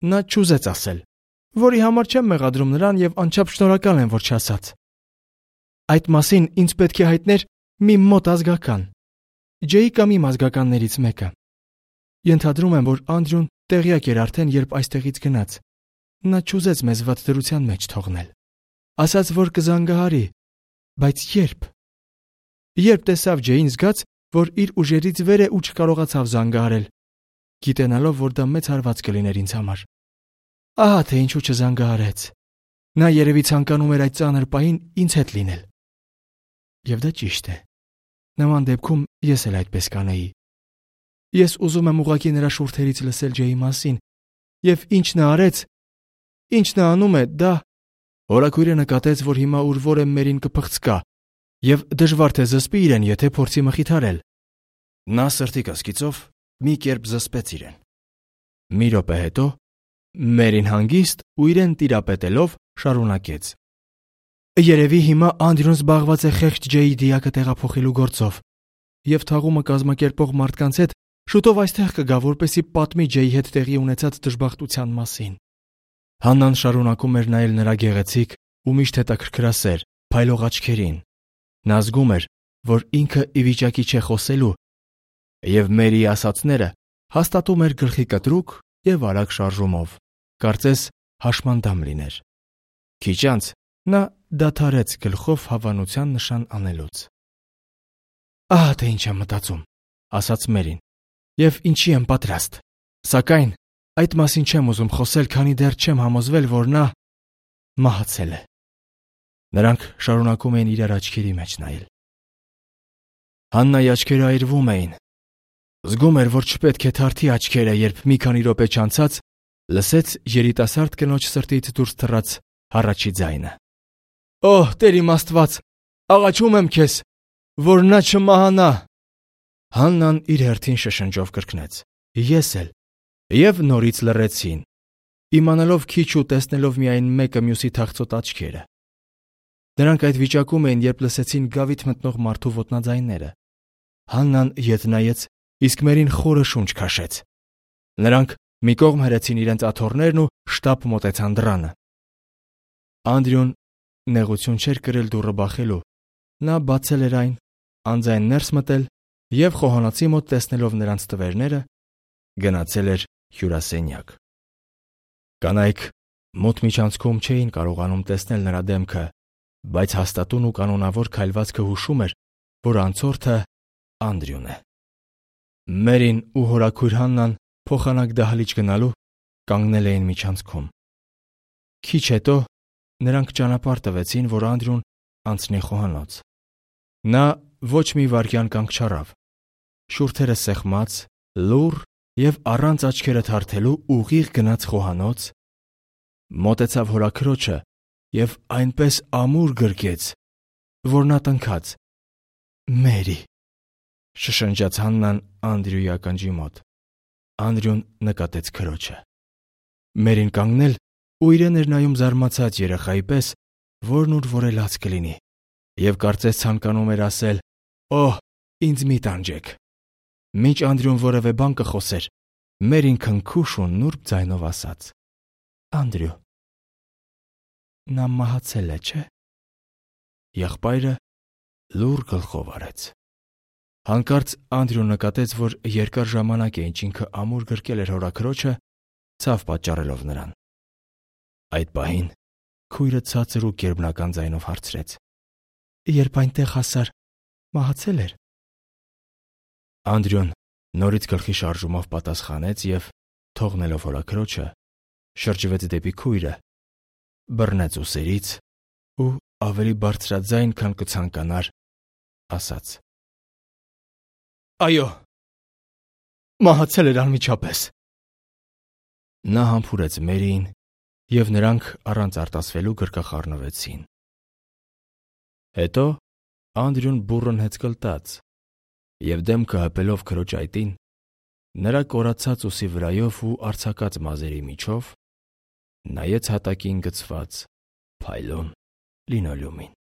Նա չուզեց ասել, որի համար չեմ մեղադրում նրան և անչափ շնորհակալ եմ, որ չասաց։ Այդ մասին ինձ պետք է հայտներ մի մոտ ազգական, Ջեյի կամ իմ ազգականներից մեկը։ Ենթադրում եմ, որ Անդրյուն տեղյակ էր արդեն, երբ այստեղից գնաց։ Նա չուզեց մեզ վատ դրության մեջ թողնել։ Ասաց, որ կզանգահարի, բայց երբ։ Երբ տեսավ Ջեյին, զգաց, որ իր ուժերից վեր է ու չկարողացավ զանգահարել, գիտենալով, որ դա մեծ հարված կլիներ ինձ համար։ Ահա թե ինչու չզանգահարեց։ Նա երևի ցանկանում էր այդ ծանր պահին ինձ հետ լինել։ Եվ դա ճիշտ է։ Նման դեպքում ես էլ այդպես կանեի։ Ես ուզում եմ ուղղակի նրա շուրթերից լսել Ջեյի մասին, եւ ինչ նա արեց, ինչ նա անում է, դա… Հորաքույրը նկատեց, որ հիմա ուր որ է Մերին կփխցկա, եւ դժվար թե զսպի իրեն, եթե փորձի մխիթարել։ Նա սրտի կասկիծով մի կերպ զսպեց իրեն։ Մի րոպե հետո Մերին հանգիստ ու իրեն տիրապետելով շարունակեց. Երևի հիմա Անդրյուն զբաղված է խեղճ Ջեյի դիակը տեղափոխելու գործով, եւ թաղումը կազմակերպող մարդկանց հետ շուտով այստեղ կգա, որպեսզի պատմի Ջեյի հետ տեղի ունեցած դժբախտության մասին։ Հաննան շարունակում էր նայել նրա գեղեցիկ ու միշտ հետաքրքրասեր, փայլող աչքերին։ Նա զգում էր, որ ինքը ի վիճակի չէ խոսելու, եւ Մերիի ասածները հաստատում էր գլխի կտրուկ եւ արագ շարժումով, կարծես հաշմանդամ լիներ։ Քիչ անց նա դադարեց գլխով հավանության նշան անելուց։ Ահա թե ինչ եմ մտածում, ասաց Մերին, եւ ինչի եմ պատրաստ, սակայն այդ մասին չեմ ուզում խոսել, քանի դեռ չեմ համոզվել, որ նա մահացել է։ Նրանք շարունակում էին իրար աչքերի մեջ նայել։ Հաննայի աչքերը այրվում էին։ Զգում էր, որ չպետք է թարթի աչքերը, երբ մի քանի րոպե չանցած լսեց երիտասարդ կնոջ սրտից դուրս թռած հառաչի ձայնը. Օհ, Տեր իմ Աստված, աղաչում եմ քեզ, որ նա չմահանա։ Հաննան իր հերթին շշնջով կրկնեց. Ես էլ։ Եվ նորից լռեցին, իմանալով քիչ ու տեսնելով միայն մեկը մյուսի թախծոտ աչքերը։ Նրանք այդ վիճակում էին, երբ լսեցին գավիթ մտնող մարդու ոտնաձայները։ Հաննան ետ նայեց, իսկ Մերին խորը շունչ քաշեց։ Նրանք մի կողմ հրեցին իրենց աթոռներն ու շտապ մոտեցան դռանը։ Անդրյուն նեղություն չէր կրել դուռը բախելու։ Նա բացել էր այն, անձայն ներս մտել եւ խոհանոցի մոտ տեսնելով նրանց տվերները, գնացել էր հյուրասենյակ։ Կանայք մոտ միջանցքում չէին կարողանում տեսնել նրա դեմքը, բայց հաստատուն ու կանոնավոր քայլվածքը հուշում էր, որ անցորդը Անդրյուն է։ Մերին ու հորաքույր Հաննան փոխանակ դահլիճ գնալու կանգնել էին միջանցքում։ Քիչ հետո նրանք ճանապարհ տվեցին, որ Անդրյուն անցնի խոհանոց։ Նա ոչ մի վայրկյան կանգ չառավ։ Շուրթերը սեղմած, լուռ եւ առանց աչքերը թարթելու ուղիղ գնաց խոհանոց, մոտեցավ հորաքրոջը եւ այնպես ամուր գրկեց, որ նա տնքաց. Մերի, շշնջաց Հաննան Անդրյուի ականջի մոտ։ Անդրյուն նկատեց քրոջը։ Մերին կանգնել ու իրեն էր նայում զարմացած երեխայի պես, որն ուր որելաց կլինի, եւ կարծես ցանկանում էր ասել. Օհ, ինձ մի տանջեք։ Մինչ Անդրյուն որևէ բան կխոսեր, Մերին քնքուշ ու նուրբ ձայնով ասաց. Անդրյու, նա մահացել է, չէ՞։ Եղբայրը լուռ գլխով արեց։ Հանկարծ Անդրյուն նկատեց, որ երկար ժամանակ է ինչ ինքը ամուր գրկել էր հորաքրոջը, ցավ պատճառելով նրան։ Այդ պահին քույրը ցածր ու գերբնական ձայնով հարցրեց. Երբ այնտեղ հասար, մահացել էր։ Անդրյուն նորից գլխի շարժումով պատասխանեց եւ, թողնելով հորաքրոջը, շրջվեց դեպի քույրը, բռնեց ուսերից ու ավելի բարձրաձայն, քան կցանկանար, ասաց. Այո, մահացել էր անմիջապես։ Նա համբուրեց Մերիին եւ նրանք առանց արտասվելու գրկախառնվեցին։ Հետո Անդրյուն բուռն հեծկլտաց եւ դեմքը հպելով քրոջ այտին, նրա կորացած ուսի վրայով ու արձակած մազերի միջով նայեց հատակին գցված փայլուն լինոլեումին։